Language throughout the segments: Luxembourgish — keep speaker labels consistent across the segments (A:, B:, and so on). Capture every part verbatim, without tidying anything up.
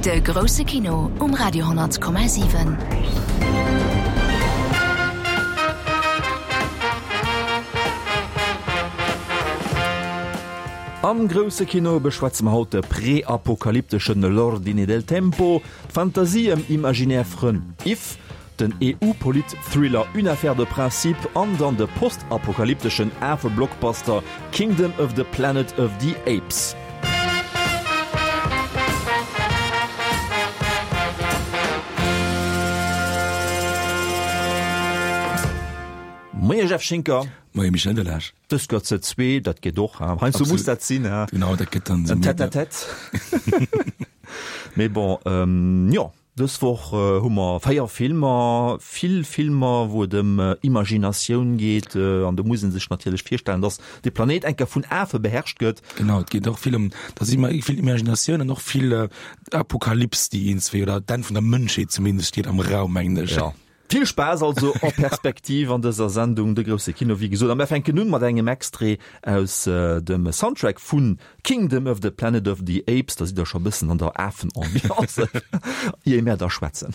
A: De grousse Kino um Radio honnert Komma siwen.
B: Am grousse Kino beschwätze mer haut de preapokalypteschen L'ordine del tempo, d'Fantasie ëm imaginär Frënn If, den E U-Polit-Thriller Une affaire de principe an dann de postapokalypteschen Afe-Blockbuster Kingdom of the Planet of the Apes. Moie Jeff Schinker.
C: Moie Michel Delage.
B: Dës gëtt ze zwee, dat geet och, hein? Heiansdo muss dat sinn, hein?
C: Genau, dat gëtt dann
B: en Tête-à-tête. Mee bon, jo, dës Woch hu mer véier Filmer, vill Filmer, wou et ëm Imaginatioun geet, an do muss ee sech natierlech virstellen, dass de Planéit eng Kéier vun Afe beherrscht gëtt.
C: Genau, et geet och vill ëm, da si mer vill Imaginatioun an och vill Apokalyps, déi iergendswéi, oder d'Enn vun der Mënschheet zumindest steet am Raum, mengen ech.
B: Jo. Vill Spaass also en perspective an dëser Sendung De grousse Kino, wéi gesot. A mir fänken un mat engem Extrait aus dem Soundtrack vu Kingdom of the Planet of the Apes. Da sidd der scho bëssen an der Afen-Ambiance, ier mir da schwätzen.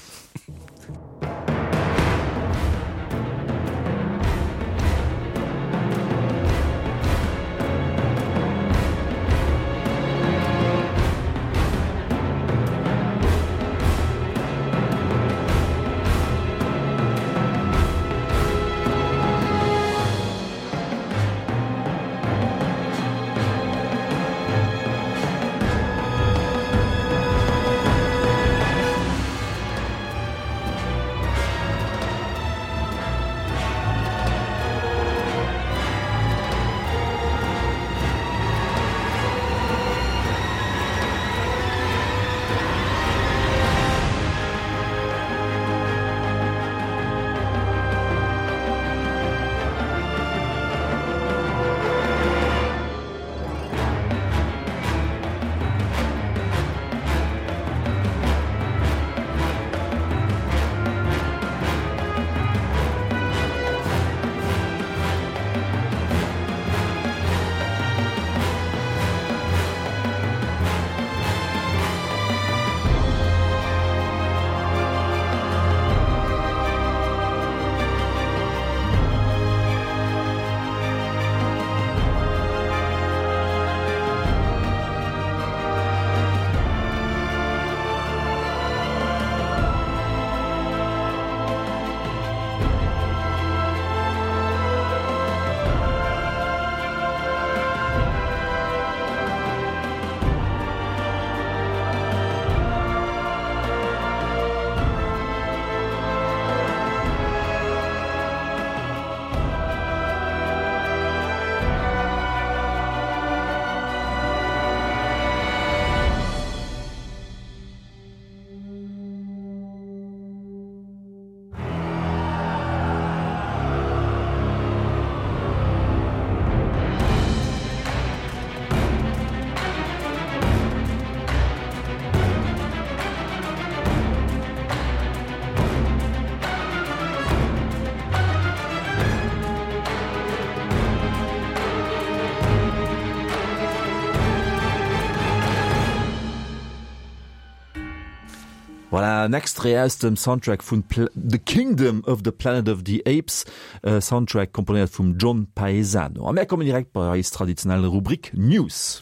B: Voilà, en Extrait aus dem Soundtrack vun The Kingdom of the Planet of the Apes, e Soundtrack komponéiert vum John Paesano. A mär kommen direkt bei eis traditionell Rubrik News.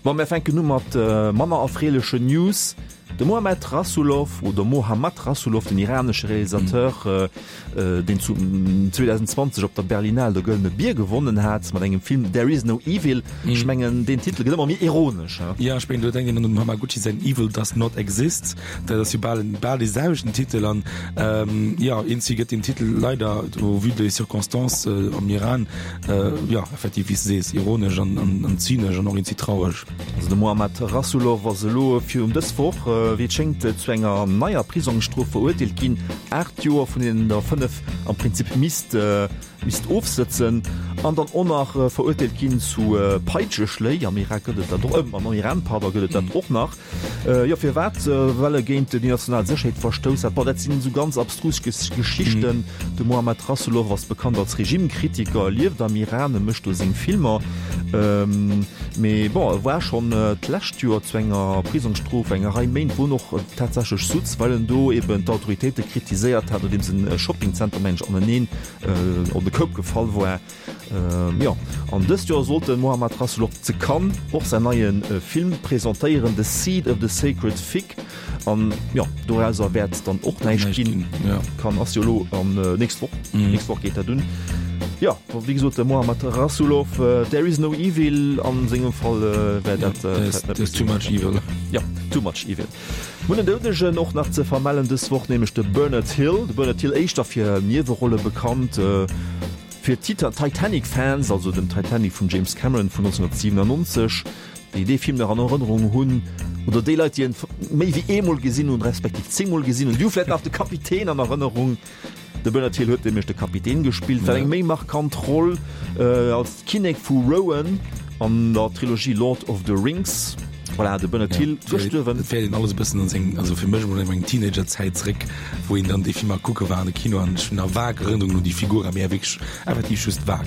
B: Bon, mär fänken u mat manner erfreelechen News. De Mohammad Rasoulof oder Mohammad Rasoulof, den iranesche Realisateur, deen zu zweedausendzwanzeg op der Berlinale de Gëllene Bier gewonnen hat mat engem Film There is no evil. Ech mengen, deen Titel gëtt ëmmer méi ironesch, he?
C: Jo, ech mengen, do denkt een un dem Hamaguchi säin Evil does not exist. Dat ass jo bal bal dee selwechten Titel. An jo, eenzi gëtt deen Titel leider au vu des circonstances am Iran, jo, effektiv, wéi s de sees, ironesch an an zynesch an och eenzi traureg.
B: Also de Mohammad Rasoulof ass elo virun dës Woch, wéi et schéngt, zu enger neier Prisongsstrof verurteelt ginn, aacht Joer, vun deenen der fënnef am Prinzip misst misst ofsëtzen. An dann och nach verurteelt ginn zu Peitscheschléi, am Irak gëtt et dat och, am Iran, pardon, gëtt et dat och nach. Jo, firwat? Well e géint déi national Sécherheet verstouss hat. Bon, dat sinn esou ganz abstrus Geschichten. De Mohammad Rasoulof ass bekannt als Regimekritiker, e lieft am Iran, e mécht do seng Filmer. Mee bon, e war schonn d'lescht Joer zu enger Prisongsstrof, enger Rei Méint, wou en och tatsächlech sutz, well en do eben d'Autoritéite kritiséiert hat, nodeems en Shoppingzenter, mengen ech, aneneen op de Koup gefall war. Jo, an dëst Joer sollt de Mohammad Rasoulof zu Cannes och säin neie Film presentéieren, The Seed of the Sacred Fig. An jo, dorauser wäert dann och näischt ginn. Cannes ass jo elo an nächst Woch, nächst Woch geet dat un. Jo, wéi gesot, de Mohammad Rasoulof, There is no evil, a sengem Fall wär dat
C: vläicht net méi esou. Too much evil.
B: Jo, too much evil. Mir hunn en Doudegen och nach ze vermellen dës Woch, nämlech de Bernard Hill. De Bernard Hill, éischter fir Niewerolle bekannt. Fir d'Titanic-Fans, also dem Titanic vum James Cameron vun nonzénhunnertsiwenannonzeg, déi dee Film nach an Erënnerung hunn, oder déi Leit, déi en méi wéi eemol gesinn hunn, respektiv zéngmol gesinn hunn, déi hu vläicht nach de Kapitän an Erënnerung. De Bernard Hill huet nämlech de Kapitän gespillt, war eng méi markant Roll als Kinnek vu Rohan an der Trilogie Lord of the Rings. Voilà, de Bernard Hill gestuerwen.
C: Et fäert een alles e bëssen an seng, also fir mech emol, an meng Teenagerzäit zréck, wou een dann déi Filmer kucke war an de Kino an ech hunn nach vag Erënnerungen un déi Figur, mee wierklech effektiv just vag.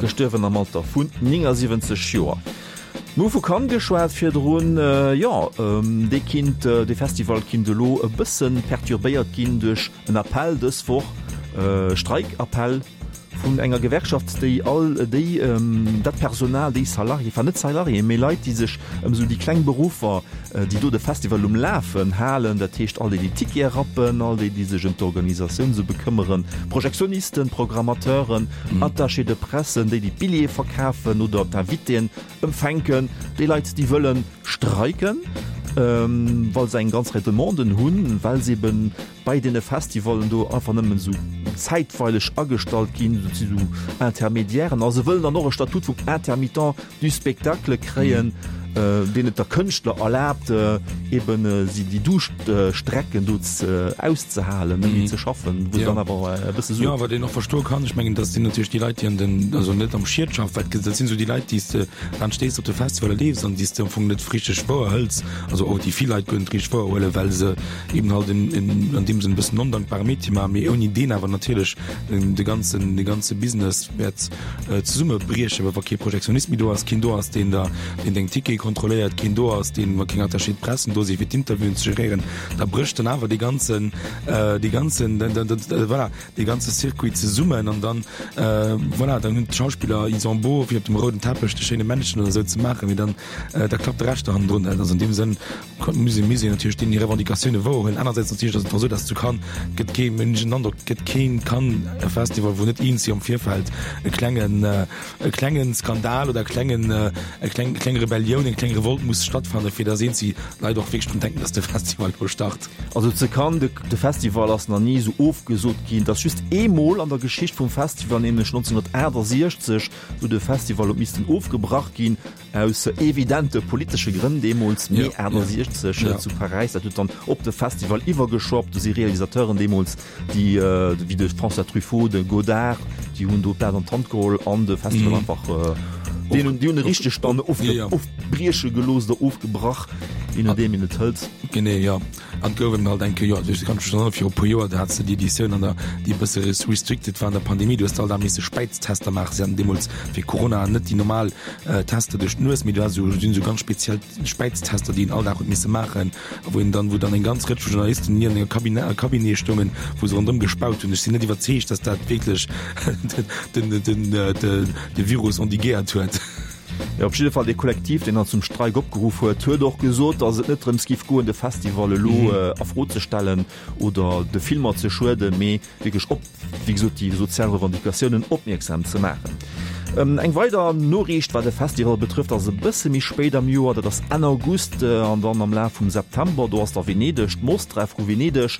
B: Gestuerwen am Alter vun néngasiwwenzeg Joer. Mir hu vu Cannes geschwat virdrun. Jo, dee kinnt, dee Festival kinnt elo e bësse perturbéiert ginn duerch en Appell dës Woch, Streikappell. Vun enger Gewerkschaft, déi all déi, dat Personal, déi Salarié, enfin net Salariéen, mee Leit, déi sech ëm esou déi kleng Beruffer, déi do de Festival um Lafen halen, dat heescht all déi, déi Tickete rappen, all déi, déi sech ëm d'Organisatioun esou bekëmmeren, Projektionisten, Programmateuren, Attachés de presse, déi, déi d'Billjeeë verkafen oder d'Invitéen empfänken, déi Leit, déi wëlle streiken, well se eng ganz Rei Demanden hunn, well se eben bei deene Festivallen do einfach nëmmen esou zäitweileg agestallt ginn, dat si sou Intermédiairen, a se wëllen dann och e Statut vum Intermittent du spectacle kréien, deen et der Kënschtler erlaabt, eben si déi Duuschtstrecken do auszehalen, net méi ze schaffen, wou se dann awer e bësse
C: Suen. Jo, wat een och verstoe kann, ech mengen, dat sinn natierlech déi Leit, déi an den, also net am Schied schaffen, well dat sinn esou déi Leit, déi s de dann stéiss op de Festivaller leefs an déi s de am Fong net richteg wouerhëls, also och déi vill Leit guer net richteg wouerhuelen, well se eben halt en, en, an deem Sënn e bëssen ondankbare Métier maachen, mee ouni deen awer natierlech den, de ganzen, de ganze Business wäert zesummebriechen, well wa kee Projektionist méi do ass, keen do ass, deen der, deen deng Tickete kontrolléiert, keen do ass, deen, wa keng Attachés de presse do sinn, fir d'Interviewen ze geréieren, da brécht dann awer dee ganzen, dee ganzen, voilà, dee ganze Circuit zesummen an dann, voilà, dann hunn d'Schauspiller, ils ont beau, fir op dem rouden Teppech de schéine Männchen oder esou ze maachen, mee dann, da klappt de Rescht do hannendrun net. Also an deem Sënn muss ee, muss een natierlech deenen hir Revendicatioune wouerhuelen. Anersäits natierlech ass et och esou, dass zu Cannes gëtt kee, hunn ech den Androck, gëtt keen Cannes Festival, wou net eenzi am Virfeld e klengen, e klengen Skandal oder e klengen, e kleng, kleng Rebellioun, eng kleng Revolt muss stattfanne fir dass eenzi Leit och wierklech drun denken, dass de Festival elo start.
B: Also zu Cannes, de, de Festival ass nach ni esou ofgesot ginn. Et ass just eemol an der Geschicht vum Festival, nämlech nonzénhunnertaachtasechzeg, wou de Festival huet missten ofgebrach ginn, Aus evidente politesche Grënn deemools, Mee aachtasechzeg zu Paräis, dat huet dann op de Festival iwwergeschwappt. Do si Realisateuren deemools, déi wéi de François Truffaut, de Godard, déi hunn do d'Blat an d'Hand geholl an de Festival einfach, déi hunn déi hunn e richteg dann ofbrieche gelooss oder ofgebrach, je nodeem een et hëlt.
C: Genee, jo. An et gouf eben halt eng Kéier, jo, ech kann mech erënneren, viru e puer Joer, do hates de déi Editioun an der, déi e bësse restricted war an der Pandemie, du hues alt da misse Späiztester maachen. Si haten deemools fir Corona net déi normal Tester duerch d'Nues, mee du has esou, sinn esou ganz speziell Späiztester, déi een all Dag huet misse maachen a wou een dann, wou dann eng ganz Rëtsch vu Journalisten ni an enger Kabine, Cabinet stoungen, wou se ronderëm gespaut hunn. Ech sinn net iwwerzeegt, dass dat wierklech den, den, den, de Virus endiguéiert huet.
B: Jo, op jidde Fall, dee Kollektiv, deen dann zum Streik opgeruff huet, huet och gesot, datt et net drëms giff goen, de Festival elo a Fro ze stellen oder de Filmer ze schueden, mee wierklech op, wéi gesot, déi sozial Revendicatiounen opmierksam ze maachen. Eng weider Noriicht, wat de Festival betrëfft, ass e bësse méi spéit am Joer, dat ass Enn August an dann am Laf vum September, do ass da Venedeg, d'Mostra vu Venedeg.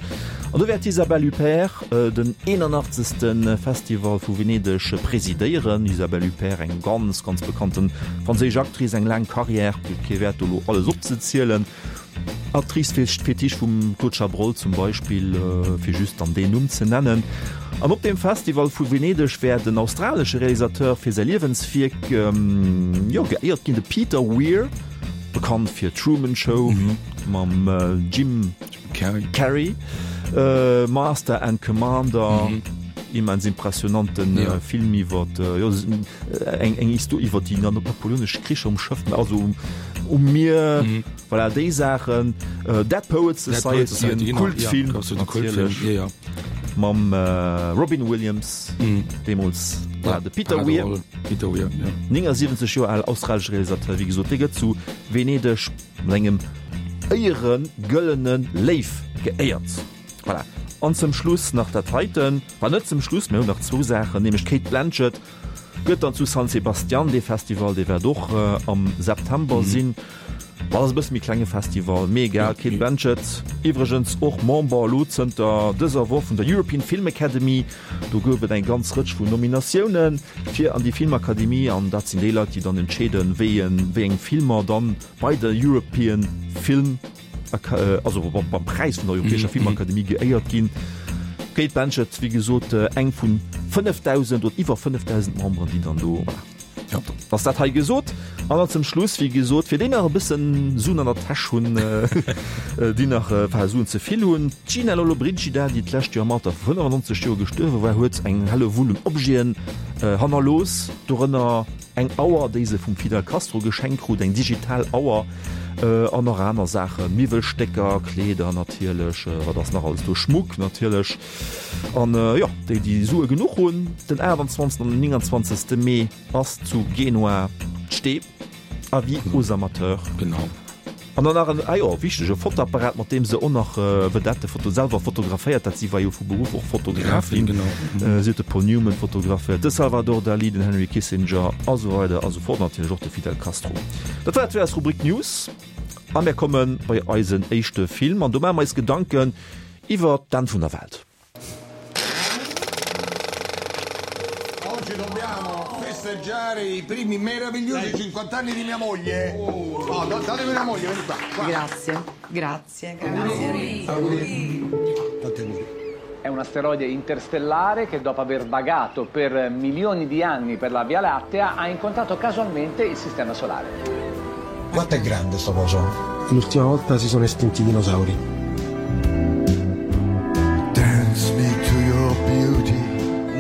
B: An do wäert d'Isabelle Huppert den eenanachtzegste Festival vu Venedeg presidéieren. Isabelle Huppert, eng ganz, ganz bekannte franséisch Actrice, eng laang Carrière, kee Wäert do elo alles opzezielen. Actrice fir Fétiche vum Claude Chabrol zum Beispill, fir just dann deen Numm ze nennen. An op deem Festival vu Venedeg wäert en australesche Realisateur fir säi Liewenswierk, jo, geéiert ginn, de Peter Weir, bekannt fir Truman Show mam Jim Carrey, Master and Commander, immens impressionante Film iwwer, jo, eng eng Histo iwwer déi napoleonesch Kricher um Schëff, also um Mier, voilà, déi Saachen. Dead Poets Society, en Kultfilm natierlech. Mam Robin Williams deemools, voilà, de Peter Weir,
C: Peter Weir, ja.
B: néngasiwwenzeg Joer al australesche Realisateur, wéi gesot, dee gëtt zu Venedeg mat engem Éiere Gëllene Léiw geéiert. Voilà. An zum Schluss nach dat heiten, enfin net zum Schluss, mir hunn nach zwou Saachen, nämlech d'Cate Blanchett gëtt dann zu San Sebastian, dee Festival, dee wäert och am September sinn. Dat ass e bësse méi klenge Festival, mee egal. D'Cate Blanchett, iwwregens och Member elo zënter dëser Woch vun der European Film Academy. Do gouf et eng ganz Rëtsch vun Nominatioune fir an déi Filmakademie an dat sinn déi Leit, déi dann entscheeden, wéi wéi eng Filmer dann bei der European Film, also beim Präis vun der Europäescher Filmakademie geéiert ginn. D'Cate Blanchett, wéi gesot, eng vun fënnefdausend oder iwwer fënnefdausend Memberen, déi dann do, voilà.
C: Ja.
B: Ass dat hei gesot. An dann zum Schluss, wéi gesot, fir déi nach e bëssen Suen an der Täsch hunn, déi nach enfin Suen ze vill hunn, d'Gina Lollobrigida, déi d'lescht Joer am Alter vu fënnefannonzeg Joer gestuerwe war, huet eng Hellewull un Objeten hannerlooss, dorënner eng Auer, déi se vum Fidel Castro geschenkt krut, eng digital Auer, an nach aner Saachen, Miwwelstécker, Kleeder natierlech, wat ass nach alles do, Schmuck natierlech. An jo, déi déi Sue genuch hunn, den aachtanzwanzegsten an den nénganzwanzegste Mee ass zu Genua d'Stee, Avis aux amateurs.
C: Genau.
B: An dann nach en, ah jo, wichtege Fotoapparat, mat deem se och nach Vedette foto selwer fotograféiert hat. Si war jo vu Beruff och Fotografin.
C: Genau.
B: Si huet de Paul Newman fotograféiert, de Salvador Dali, den Henry Kissinger a sou weider a sou fort. Natierlech och de Fidel Castro. Dat war et fir eis Rubrik News. A mir komme bei eisen éischte Film an do maache mer eis Gedanken iwwer d'Enn vun der Welt.
D: Oggi dobbiamo festeggiare i primi meravigliosi cinquant'anni di mia moglie. Oh, datemi una moglie, vieni qua. qua.
E: Grazie, grazie, grazie.
D: Auguri. Tanti auguri.
F: È un asteroide interstellare che dopo aver vagato per milioni di anni per la Via Lattea ha incontrato casualmente il sistema solare.
D: Quanto è grande sto coso?
G: L'ultima volta si sono estinti i dinosauri.
D: Dance me to your beauty.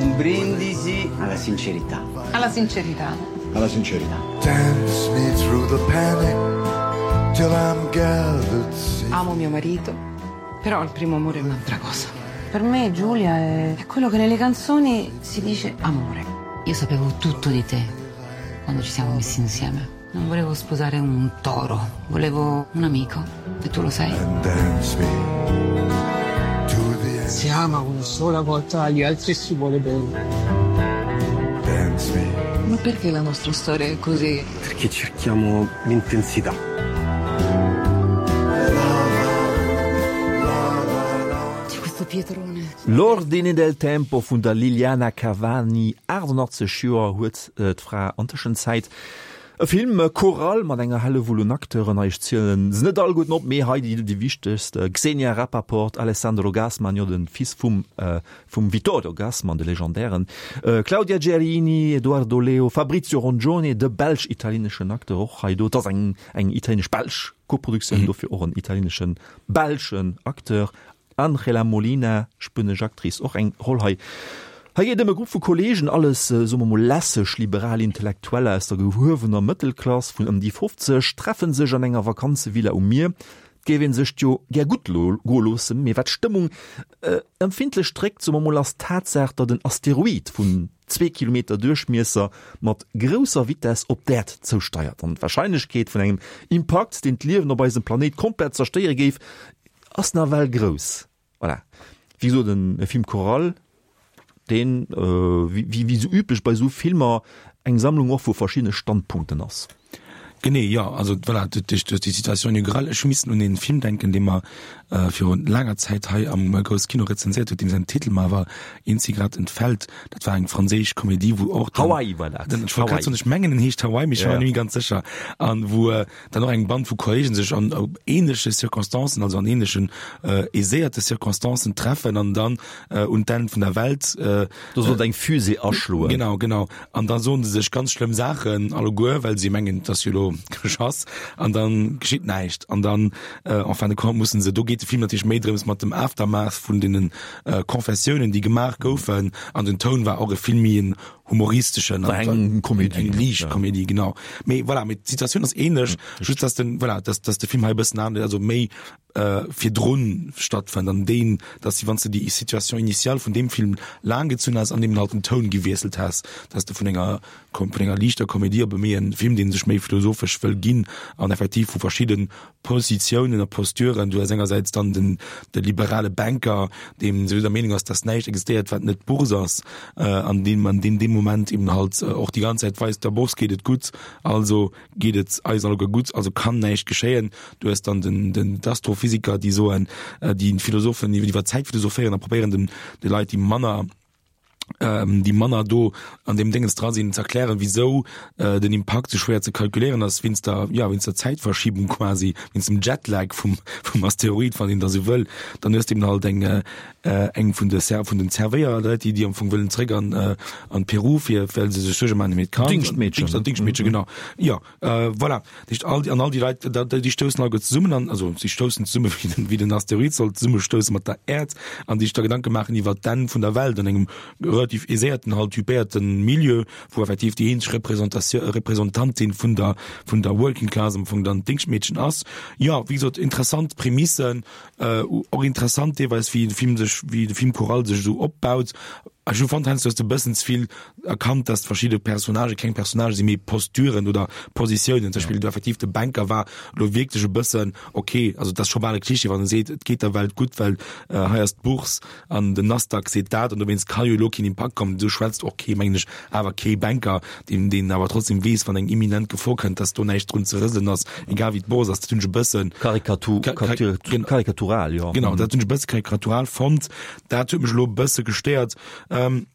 H: Un brindisi alla sincerità.
E: Alla sincerità.
D: Alla sincerità. Dance me through the panic till I'm gathered safe.
E: Amo mio marito, però il primo amore è un'altra cosa. Per me Giulia è, è quello che nelle canzoni si dice amore.
I: Io sapevo tutto di te quando ci siamo messi insieme. Non volevo sposare un toro, volevo un amico e tu lo sai.
D: And dance me to the end.
J: Si ama una sola volta agli altri si vuole bene.
D: Dance me.
E: Ma perché la nostra storia è così?
G: Perché cerchiamo l'intensità.
I: C'è questo pietrone.
B: L'ordine del tempo vun der Liliana Cavani, achtundachtzeg Joer huet d'Fra an Tëschenzäit. E Film choral mat enger Hellewull un Acteuren, hei ech zielen se net alleguerten op, mee hei déi déi wichtegst, Xenia Rappaport, Alessandro Gassmann, jo de Fils vum vum Vittorio Gassman, de legendären, Claudia Gerini, Edoardo Leo, Fabrizio Rongione, de belsch-italieneschen Acteur och hei do, et ass eng eng italienesch-belsch Koproduktioun, dofir och en italieneschen-belschen Acteur, Angela Molina, spuenesch Actrice, och eng Roll hei. Hei geet ëm e Grupp vu Kolleegen, alles, soe mer mol, lässeg liberal Intellektueller aus der gehuewener Mëttelklass vun ëm déi fofzeg, treffe sech an enger Vakanzevilla um Mier. Et géif ee sech jo gär gutt goe loossen, mee wat d'Stëmmung empfindlech dréckt, soe mer mol, ass d'Tatsaach, datt en Asteroid vun zwee Kilometer Duerchmiesser mat grousser Vitess op d'Äerd zousteiert. An d'Warscheinlechkeet vun engem Impakt, deen d'Liewen op eisem Planéit komplett zerstéiere géif, ass nawell grouss. Voilà. Wéi gesot, e Film choral, deen, wéi esou üblech bei esou Filmer, eng Sammlung och vu verschiddene Standpunkten ass.
C: Genee, jo. Also voilà, duerch déi Situation inaugurale. Ech hu missen un een Film denken, dee mer virun laanger Zäit hei am Grousse Kino rezenséiert huet, deem säin Titel mer awer eenzi grad entfält. Dat war eng franséisch Komedie, wou och
B: dann, Hawaii war dat.
C: Ech wollt grad soen, ech mengen en heescht Hawaii, mee ech war mer net méi ganz sécher. An wou dann och eng Band vu Kollegen sech an ähnleche Circonstancen, also an ähnlechen aiséierte Circonstancen treffen an dann un d'Enn vun der Welt.
B: Do sollt eng Fusée aschloen.
C: Genau, genau. An da soen se sech ganz schlëmm Saachen alleguer, well si mengen, et ass jo elo geschass. An dann geschitt näischt. An dann en fin de compte mussen se, do geet de Film natierlech méi drëms mat dem Aftermath vun deenen Confessiounen, déi gemaach goufen. An den Toun war och e vill méi en humoristeschen.
B: War eng Komedie.
C: Eng liicht Komedie, genau. Mee voilà, mee d'Situatioun ass ähnlech, just dass den, voilà, dass, dass de Film hei e bëssen anescht, also méi virdrun stattfënnt an deen, dass wann s de déi Situation initiale vun deem Film laang gezunn has an eben halt den Toun gewiesselt has, dass de vun enger vun enger liichter Komedie op e méi en Film, dee sech méi philosophesch wëll ginn an effektiv vu verschidde Positiounen a Posturen, du has engersäits dann den de liberale Banker, deem souwisou der Meenung ass, dass näischt existéiert, wat net d'Bourse ass, an deem an deen deem Moment eben halt och déi ganz Zäit weist, der Bourse geet et gutt, also geet et eis alleguer gutt, also kann näischt geschéien. Du hues dann den, den d'Astrophysiker, déi soen, déi Philosophen, déi iwwer d'Zäit philosophéieren a probéieren den, de Leit, déi manner, déi manner do an deem Déngens dra sinn, ze erklären, wisou den Impakt sou schwéier ze kalkuléieren ass, wéinst der, jo, wéinst der Zäitverschiebung quasi, wéinst dem Jetlag vum, vum Asteroid, wann een da sou wëll. Dann hues de eben halt eng, eng vun de Ser, vun den Zerwéierleit, déi, déi am Fong wëllen zréck an, an Peru, fir, well se sech Suerge maachen ëm hiert Kand.
B: Dingschtmeedchen.
C: Dingscht, Dingschtmeedchen, genau. Jo, voilà. Dat heescht, all déi, an all déi Leit, da, déi stoussen alleguer zesummen an, also si stoussen zesumme wéi den, wéi den Asteroid sollt zesummestousse mat der Äerd an déi sech da Gedanke maachen iwwer d'Enn vun der Welt an engem relativ aiséierten, halt typéierten Milieu, wou effektiv déi eenzeg Représentatioun, Représentantin vun der, vun der Working Class am Fong dann d'Dingschtmeedchen ass. Jo, wéi gesot, interessant Prämissen, och interessant deelweis wéi de Film sech, wéi de Film choral sech esou opbaut. Ech hu fonnt heiansdo hues de e bëssen ze vill erkannt, dass verschidde Personnagë keng Personnagë sinn, mee Posturen oder Positiounen. Zum Beispill do effektiv de Banker war elo wierklech e bëssen, ok, also et ass scho bal e Klischee, wann e seet, et geet der Welt gutt, well hei ass d'Bourse an den Nasdaq seet dat an dowéinst ka jo elo keen Impakt kommen. Esou schwätzt och kee, mengen ech, awer kee Banker, deen deen awer trotzdem weess, wann eng imminent Gefor kënnt, dass do näischt drun ze rëselen ass, egal wéi d'Bourse ass. Dat hunn ech e bëssen
B: Karikatural, jo.
C: Genau, dat hunn ech e bësse karikatural fonnt. Dat huet mech elo e bësse gestéiert. Ähm,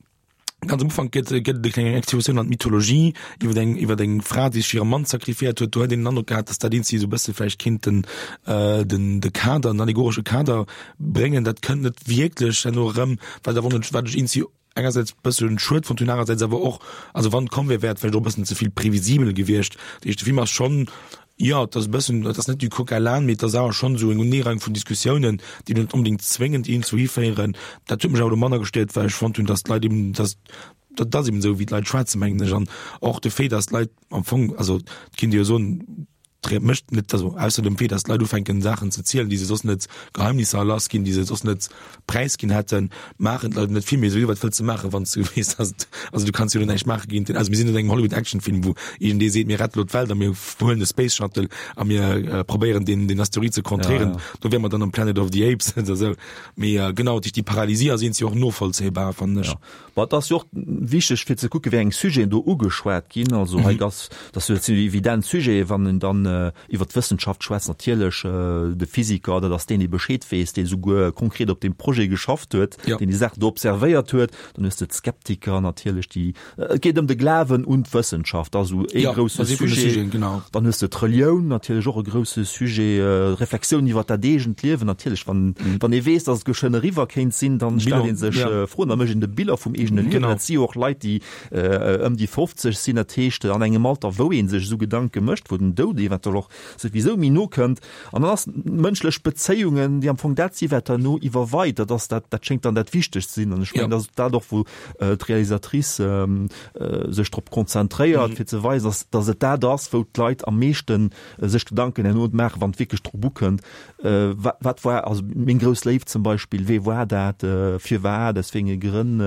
C: ganz am Ufank gëtt gëtt et e kleng Exkursioun an d'Mythologie iwwer eng iwwer eng Fra, déi sech hirem Mann sacrifiéiert huet. Do hätt een den Androck gehat, dass dat eenzegi sou e bësse vläicht kéint den äh, den de Kader, den allegoresche Kader bréngen. Dat kënnt net wierklech herno erëm, wat awer net wat ech eenzegi engersäits bëssen schued fonnt hunn, anerersäits awer och, also wann et komm wär, wär et vläicht och e bëssen ze vill previsibel gewiescht. Dat heescht, de Film ass schonn, jo, et ass e bëssen, et ass net du coq à l'âne, mee et ass awer schonn esou eng Uneereihung vun Diskussiounen, déi net onbedéngt zwéngend iergendwou hiféieren. Dat huet mech awer elo manner gestéiert, well ech fonnt hunn, dass d'Leit eben, dass, dat ass eben esou, wéi d'Leit schwätzen, mengen ech. An och de Fait, dass d'Leit am Fong, also et kinnt ee jo soen, Dréit mécht net, also ausser dem Fait, dass d'Leit ufänken Saachen ze zielen, déi se soss net, Geheimnisser lass ginn, déi se soss net präisginn hätten, maachen d'Leit net vill méi. Souwisou, wat wëlls de maachen, wann s du weess, dass et, also du kanns jo elo näischt maache géint den, also mir sinn net an engem Hollywood-Actionfilm, wou iergendee seet, mir rette lo d'Welt a mir huelen de Space Shuttle a mir probéieren deen, deen Asteroid ze kontréieren.
B: Ja, ja.
C: Do wäre mer dann am Planet of the Apes oder esou. Mee genau, déi Paralysie ass iergendwéi och novollzéibar, fannen ech.
B: Ja. Bon, et ass jo och wichteg fir ze kucke wéi eng Sujeten do ugeschwat ginn. Also hei ass, dat sinn jo evident Sujeten, wann een dann iwwert d'Wëssenschaft schwätzt, natierlech de Physiker, dat ass deen, dee Bescheed weess, dee souguer konkret op deem Projet geschafft huet, deen déi Saach do observéiert huet. Dann hues de d'Skeptiker natierlech, déi, et geet ëm de Glawen un d'Wëssenschaft, dat ass esou ee grousse Sujet. Dann hues de d'Relioun, natierlech och e grousse Sujet, Reflexioun iwwert dat eegent Liewen natierlech, wann, wann ee weess, datt et geschwënn eriwwer kéint sinn, dann stellt ee sech Froen, da mécht een de Bilan vum eegene Liewen. Dat si jo och Leit, déi ëm déi fofzeg sinn, dat heescht an engem Alter, wou ee sech esou Gedanke mécht, wou den Doud eventuell och souwisou méi no kënnt. An dann ass mënschlech Bezéiungen, déi am Fong dat si wat herno iwwerweit, dat ass dat, dat schéngt dann dat Wichtegst ze sinn. An ech mengen, dat ass dat och, wou d'Realisatrice sech drop konzentréiert, fir ze weisen, dass, dass et dat ass, wou d'Leit am meeschten sech Gedanken herno maachen, wann et wierklech drop ukënnt, Wat war also meng grouss Léift zum Beispill, wee war dat, firwat, aus wéi enge Grënn,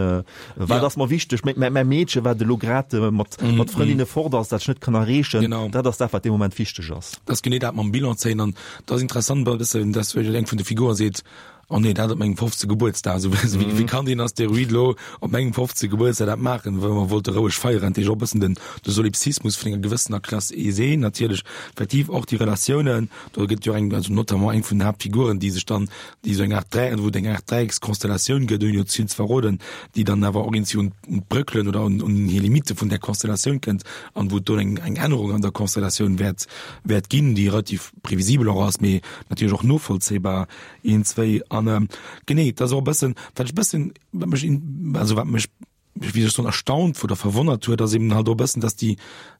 B: wat ass mer wichteg, mäi Meedche wat elo grad mat mat Frëndinne fort ass, dat ech net kann erreechen, dat ass dat wat dee Moment wichteg ass.
C: Dat ass genee dat mam Bilan zéien an dat ass interessant e bëssen, dass eng vun de Figuren seet, oh nee, dat op mengem fofzege Gebuertsdag, also wéi, wéi kann deen Asteroid lo op mengem fofzege Gebuertsdag dat maachen, well mer wollte roueg feieren. Dat heescht och e bëssen den, de Solipsismus vun enger gewëssener Klass aisée, natierlech effektiv och déi Relatiounen, do gëtt jo eng, also notamment eng vun den Haaptfiguren, déi sech dann, déi esou eng Art Dräi, wou et eng Art Dräieckskonstellatioun gëtt, ouni elo ze vill ze verroden, déi dann awer och iergendwéi un, un d'Bröckelen oder un, un hir Limitte vun där Konstellatioun kënnt an wou et do eng, eng Ännerung an der Konstellatioun wäert, wäert ginn, déi relativ previsibel och ass, mee natierlech och novollzéibar. Een, zwéi an ähm, genee, dat ass och e bëssen, wat ech bëssen, wat mech in, also wat mech, wéi soll ech soen, erstaunt oder verwonnert huet, ass eben halt och e bëssen, dass déi,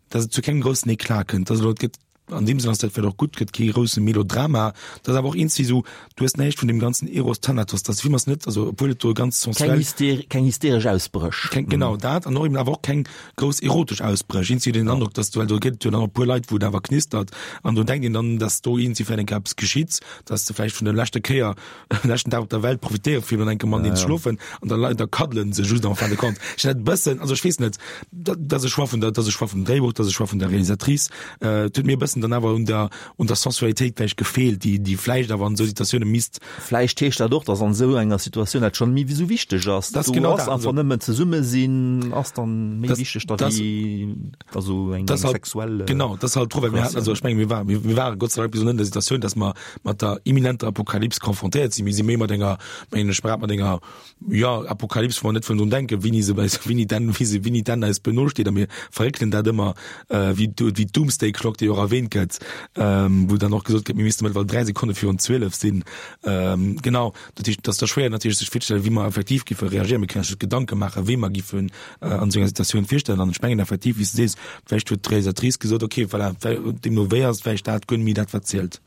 C: dass et zu kengem groussen Eclat kënnt. Also et gëtt, an deem Sënn ass dat vläicht och gutt, gëtt kee grousse Melodrama, dat ass awer och eenzi esou, du hues näischt vun deem ganzen Eros Thanatos, das Film ass net, also obwuel et do ganz
B: Keng
C: sensuell,
B: hyster, keng hysteresch Ausbréch.
C: keng, genau dat, an och eben awer och keng grouss erotesch Ausbréch. Eenzi den Androck, dass du, well do gëtt et jo dann och e puer Leit, wou et awer knistert, an do denkt een dann, dass do eenzi vläicht eng Kéier eppes geschitt, dass se vläicht vun der leschter Kéier, leschten Dag op der Welt profitéiere fir dann enke mat denen ze schlofen an da da kaddelen se just en fin de compte. Ech dat bëssen, also ech weess net, dat dat ass e Choix vun der, dat ass e Choix vum Dréibuch, dat ass e Choix vun der Realisatrice, äh, et huet mir e bëssen dann awer un der un der Sensualitéit vläicht gefeelt, déi déi vläicht awer an esou Situatioune misst.
B: Vläicht heescht dat och, dass an esou enger Situatioun dat schonn méi esou wichteg ass.
C: Dat ass
B: Do
C: genau
B: ass
C: dat,
B: einfach
C: also
B: nëmmen zesumme sinn ass dann méi
C: Das,
B: wichteg da
C: das,
B: wéi also eng
C: das
B: eng
C: halt,
B: sexuell
C: genau, das halt drüber. Wir hatten, also
B: Relatioun.
C: ich meine, wir waren, wir, wir waren Gott sei Dank bis net in der Situation, dass mer mat der imminenter Apokalyps konfrontéiert sinn. Mir si méi mat enger, mengen ech, mat enger, ja, Apokalyps, wou mer net wëllen drun denken, wéini se bei, wéini denn, wéi se, wéini denn eis benosteet, a mir verréckelen dat ëmmer, äh, wéi, wéi d'Doomsday Clock, déi och erwähnt gëtt, ähm, wou dann och gesot gëtt, mir misste mëttlerweil dräi Sekonne virun zwielef sinn. Ähm, genau, dat heescht, dat ass da schwéier natierlech sech virzestellen, wéi mer effektiv giffe reagieren. Mir kënnen eis just Gedanke maachen, wéi mer giffen äh, an esou enger Situatioun virstellen. An ech mengen effektiv, wéi s du sees, vläicht huet d'Realisatrice gesot, okay, voilà, deemno wéi ass vläicht dat guer net méi dat, wat zielt.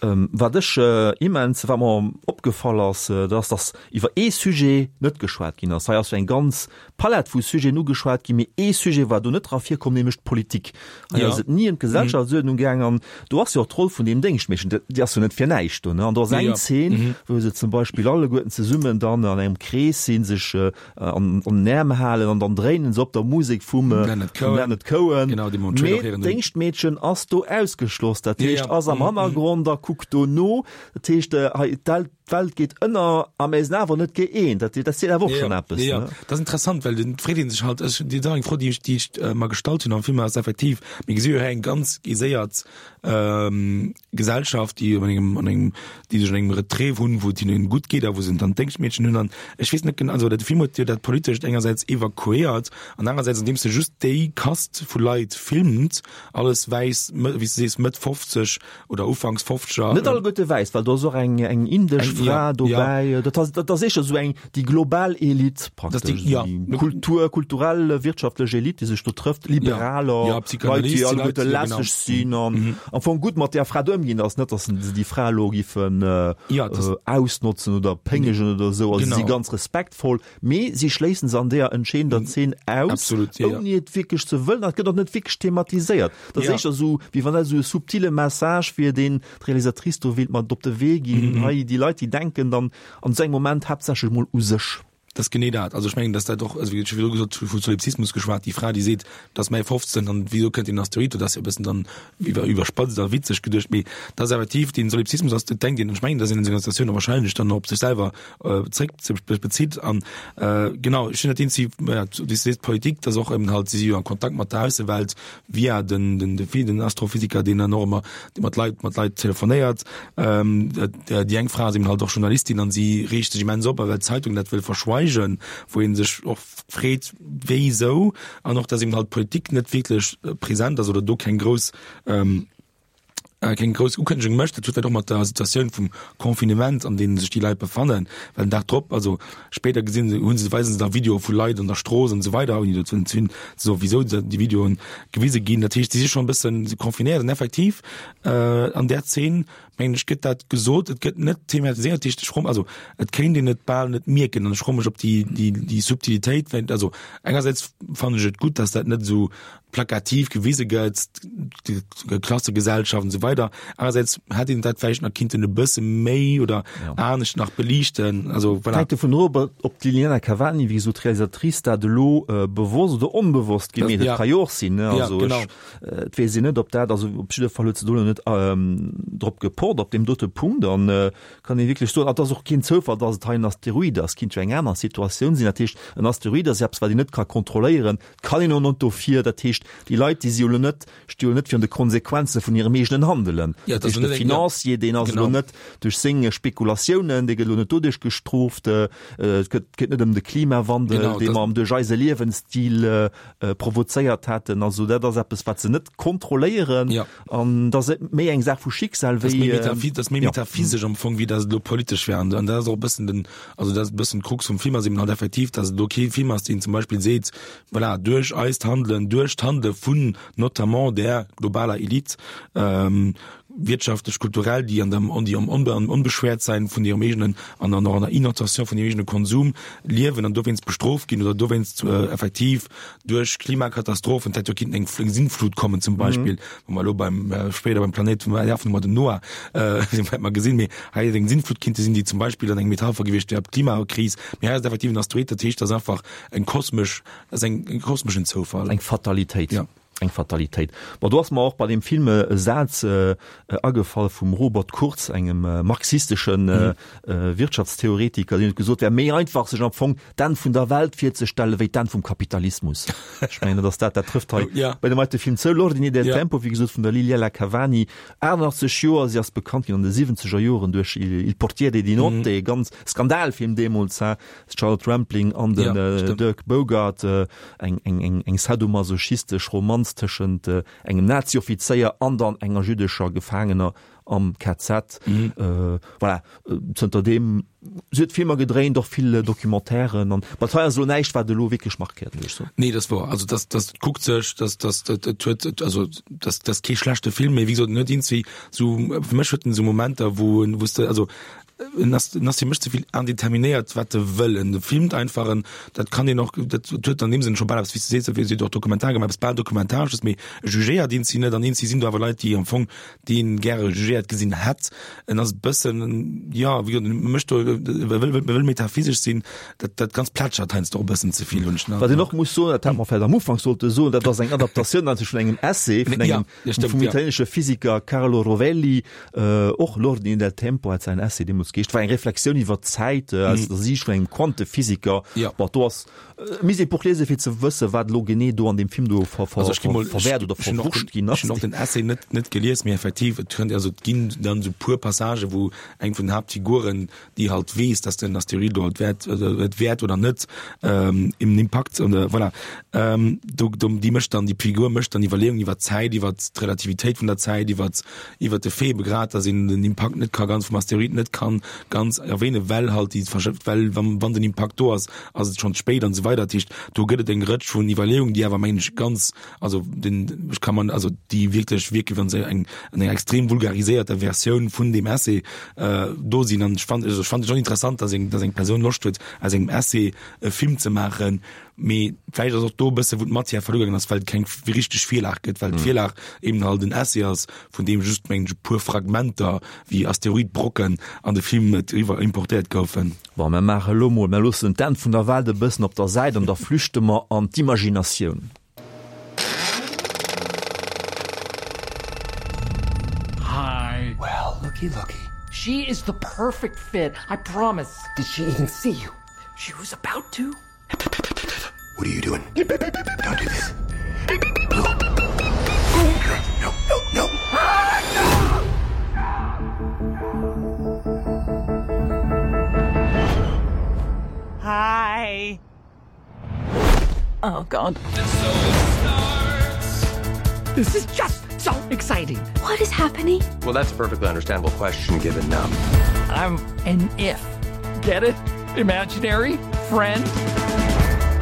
B: Ähm, wat ech äh, immens, wat mer opgefall ass, äh, dat ass, dass iwwer ee Sujet net geschwat ginn ass. Hei ass jo eng ganz Palett vu Sujeten ugeschwat ginn, mee ee Sujet war do net dra virkomm, nämlech d'Politik. Hei
C: Ja.
B: ass et ni ëm d'Gesellschaftsuerdnung gaang an do ass jo och d'Roll vun deem Déngschtmeedchen, dat, déi ass jo net fir näischt do, ne? An do ass eng
C: Ja.
B: Zeen, wou se zum Beispill alleguerten zesummen dann an engem Krees sinn, sech äh, an, an den Äerm halen an dann dréinen se op der Musek vum, äh,
C: Leonard
B: vum
C: Cohen.
B: Leonard Cohen.
C: Genau, déi mer am Trailer
B: Mee
C: héieren hunn.
B: d'Déngschtmeedchen ass do ausgeschloss, dat
C: Ja,
B: heescht,
C: ja.
B: ass am
C: Mhm.
B: Hannergrond a kuckt do no. Dat heescht, äh, hei d'Welt, d'Welt geet ënner a mir sinn awer net gëeent. Dat, dat seet awer och
C: Ja,
B: schonn eppes,
C: ja, ja.
B: ne?
C: Dat ass interessant, well den freet een sech halt, ech, déi ass eng Fro, déi ech, déi ech äh, mer gestallt hunn am Film, ass effektiv, mir gesi jo hei eng ganz aiséiert ähm, Gesellschaft, déi an engem, an engem, déi sech an engem Retrait hunn, wou et hinnen gutt geet a wou se dann d'Déngschtmeedchen hunn. An ech weess net genau, also de Film huet jo dat Politescht engersäits evakuéiert an anerersäits, andeems e just déi Kast vu Leit filmt, alles wäiss, wéi s du sees, Mëtt fofzeg oder Ufanks fofzeger.
B: Net alleguerte wäiss, well do ass och eng, eng indesch
C: Eng,
B: Fra
C: ja,
B: dobäi.
C: ja.
B: Dat ass, dat ass éischter esou eng, déi global Elite
C: Das déi,
B: praktesch,
C: ja.
B: déi Kultur, kulturell, wirtschaftlech Elite, déi sech do trëfft,
C: Ja,
B: Liberaler,
C: ja,
B: Leit, déi
C: Psychanalyste,
B: alleguerte
C: Leit, ja, genau.
B: lässeg sinn an am Fong gutt mat där Fra do ëmginn. Ass net, dass se déi Fra elo giffen äh,
C: Ja, das
B: äh, ausnotzen oder péngegen oder esou. Also si
C: Genau.
B: si ganz respektvoll, mee si schléissen se an deer entscheedender Zeen aus,
C: Absolut, ja, ja.
B: ouni et wierklech ze wëllen. Dat gëtt och net wierklech thematiséiert. Dat ass
C: Ja.
B: éischter esou, wéi wann dat esou e subtile Message wier, deen d'Realisatrice do wéilt mat op de Wee ginn.
C: Mhm.
B: Hei, déi Leit, déi denken dann an esou engem Moment haaptsächlech mol u sech.
C: Dat ass genee dat. Also ech mengen, dass dat och, also wéi ech virdru gesot hu, vu Solipsismus geschwat, déi Fra, déi seet, dat ass mäi fofzénten an wieso kënnt deen Asteroid, dat ass jo e bëssen dann iwwer, iwwerspatzt a witzeg geduecht, mee dat ass effektiv den Solipsismus ass, dat denkt een, ech mengen, dass een an senger Situatioun och wahrscheinlech dann op sech selwer äh, zréck ze bezitt an äh, genau, ech hunn dat eenzi, ja, wéi s du sees, d'Politik, dass och eben halt, si si jo an Kontakt mat der Aussewelt via den, den, den, den Astrophysiker, deen dann och ëmmer, dee mat Leit, mat Leit telefonéiert. Ähm, déi eng Fra ass eben halt och Journalistin an si reegt sech immens op, well d'Zeitung dat wëll verschweigen, wou een sech och freet, wéisou, an och, dass eben halt d'Politik net wierklech präsent ass oder do keng grouss, ähm, keng grouss Ukënnegung mécht. Dat huet vläicht och mat der Situatioun vum Confinement, an deem sech déi Leit befannen, well den Dag drop, also spéider gesinn se, hunn se, weisen se da Videoe vu Leit an der Strooss an esou weider, ouni dozou ze hunn, ze soen, wisou déi Videoen gewise ginn. Dat heescht, si si schonn e bëssen confinéiert an effektiv an där Zeen, mengen ech, gëtt dat gesot, et gëtt net thematiséiert. Dat heescht, ech froen, also et kéint een et bal net mierken an ech froe mech, ob déi, déi, déi Subtilitéit, well also engersäits fannen ech et gutt, dass dat net esou plakativ gewise gëtt, d'Klassegesellschaft an esou weider. Anerersäits hätt een dat vläicht nach kinnten e bësse méi oder anescht nach beliichten. Also voilà.
B: Hänkt dovun of, ob d'Liliana Cavani, wéi gesot d'Realisatrice, dat elo bewosst oder onbewosst gemeet huet. Ka jo och sinn, ne? Also ech, et weess een net, ob dat, also op jidde Fall huet se do elo net drop gepocht op deem dote Punkt an kann ee wierklech soen, et ass och keen Zoufall, datt et hei en Asteroid ass, kinnt jo eng aner Situatioun sinn. Dat heescht, en Asteroid ass eppes, wat een net ka kontrolléieren, et kann een och net dofir. Dat heescht, déi Leit, déi si jo elo net, sti jo net virun de Konsequenze vun hirem eegenen Handelen.
C: Ja,
B: Dat heescht, de Financier, deen ass elo net duerch seng Spekulatiounen, dee gëtt elo net doduerch gestrooft. Et gëtt, geet net ëm de Klimawandel, dee mer duerch eise Liewensstil provozéiert hätten. Also dat ass eppes, wat se net kontrolléieren. An dat ass méi eng Saach vu Schicksal wéi.
C: Dat ass méi metaphysesch am Fong, wéi datt et elo politesch wär. An dat ass och e bëssen den, also dat ass e bëssen d'Krux vum Film ass eben halt effektiv, datt et elo kee Film ass, deen zum Beispill seet, voilà, duerch eist Handelen, duerch d'Handele vun notamment där globaler Elite, wirtschaftlech, kulturell, déi an dem, déi am Onbeschwäertsein vun hirem eegenen an dann och an der Innotation vun hirem eegene Konsum liewen an dowéinst bestrooft ginn oder dowéinst effektiv duerch Klimakatastrophen, et hätt jo kinnten eng Sintflut kommen zum Beispill, wou mer elo beim, spéider beim Planéit vum Erf hu mer den Noah, dee wäerte mer gesinn, mee hei hätt eng Sintflut kinnte sinn, déi zum Beispill dann eng Metapher gewiescht wär op d'Klimakris, mee hei ass et effektiv en Asteroid, dat heescht, dat ass einfach eng kosmesch, dat ass eng, e kosmeschen Zoufall.
B: Eng Fatalitéit.
C: Ja.
B: Eng Fatalitéit. Bon, do ass mer och bei deem Film e Saz agefall vum Robert Kurz, engem marxisteschen Wirtschaftstheoretiker, deen huet gesot, et wär méi einfach, sech am Fong d'Enn vun der Welt virzestellen, wéi d'Enn vum Kapitalismus. Ech mengen, dat ass dat, dat trëfft hei bei deem heite Film zou. L'ordine del tempo, wéi gesot, vun der Liliella Cavani, achtundachtzeg Joer, si ass bekannt ginn an de siwwenzeger Joren duerch Il portiere di notte, e ganz Skandalfilm deemools, Charlotte Rampling an den Dirk Bogarde, eng, eng, eng, eng sadomasochistesch Romanz tëschent engem Nazi-Offizéier an dann enger jüddescher Gefaangener am K Z. Voilà, zënter deem, si huet Filmer gedréint, och vill Documentairen an, ma hei ass elo näischt, wat elo wierklech markéiert, muss ech soen.
C: Nee, dat ass wouer. Also dat, dat kuckt sech, dat, dat, dat, dat huet, also dat, dat ass kee schlechte Film, mee wéi gesot, en huet iergendwéi sou, fir mech huet en sou Momenter, wou en, wou s de, also En ass, en ass fir mech ze vill indeterminéiert, wat e wëll. En filmt einfach, en, dat kann een och, dat huet an deem Sënn scho bal eppes, wéi s de sees, wéi se huet och Dokumentar gemaach, eppes bal Dokumentaresches, mee e jugéiert een si net an een si sinn do awer Leit, déi am Fong, déi een gäre jugéiert gesinn hätt. En ass e bëssen, jo, wéi gesot, en mécht do, e wëll, e wëll metaphysesch sinn, dat, dat Ganzt plätschert heiansdo och e bëssen ze vill, hunn ech den
B: Wat een
C: Androck.
B: och muss soen, dat hätt mer vläicht am Ufank sollte soen, dat ass eng Adaptatioun natierlech vun engem Essay vun engem, vum italienesche Physiker Carlo Rovelli, Och L'ordine del tempo hat säin Essay deemools geheescht, war eng Reflexioun iwwer d'Zäit aus der Siicht vun engem Quantephysiker. Bon, do ass, misst een d'Buch liesen, fir ze wëssen, wat elo genee do an deem Film do verwäert oder verwurscht ginn ass.
C: Ech hunn och den Essay net net gelies, mee effektiv, et kënnt, also et ginn dann esou puer Passagen, wou eng vun den Haaptfiguren, déi halt weess, dass den Asteroid do halt wäert, et wäert oder net en Impakt oder voilà, do, do, déi mécht dann, déi Figur mécht dann Iwwerleeungen iwwer d'Zäit, iwwer d'Relativitéit vun der Zäit, iwwer iwwer de Fait begrad, dass een den Impakt net ka ganz vum Asteroid net kann ganz erwähnen, well halt déi Verschëff, well wann, wann den Impakt do ass, ass et schonn ze spéit an esou weider. Dat heescht, do gëtt et eng Rëtsch vun Iwwerleeungen, déi awer, mengen ech, ganz, also den, ech kann man, also déi wierklech wierken, wann se eng, an enger extrem vulgariséierter Versioun vun deem Essay do sinn. An ech fand, also ech fand et schonn interessant, dass eng, dass eng Persoun Loscht huet, aus engem Essay e Film ze maachen, mee vläicht ass och do e bësse wou d'Matière verluer gaangen ass, well et keng richteg Virlag gëtt, well d'Virlag eben halt en Essay ass, vun deem just, mengen ech, e puer Fragmenter wéi Asteroidbrocken an de Film eriwwer importéiert goufen.
B: Bon, mer maache elo mol, mer loossen d'Enn vun der Welt e bëssen op der Säit an da flüchte mer an d'Imaginatioun.
K: Hi. Well, looky, looky. She is the perfect fit, I promise. Did she even see you? She was about to. What are you doing? Don't do this. No, no, no. Hi. Oh God. This is just so exciting. What is happening? Well, that's a perfectly understandable question given um I'm an if. Get it? Imaginary friend?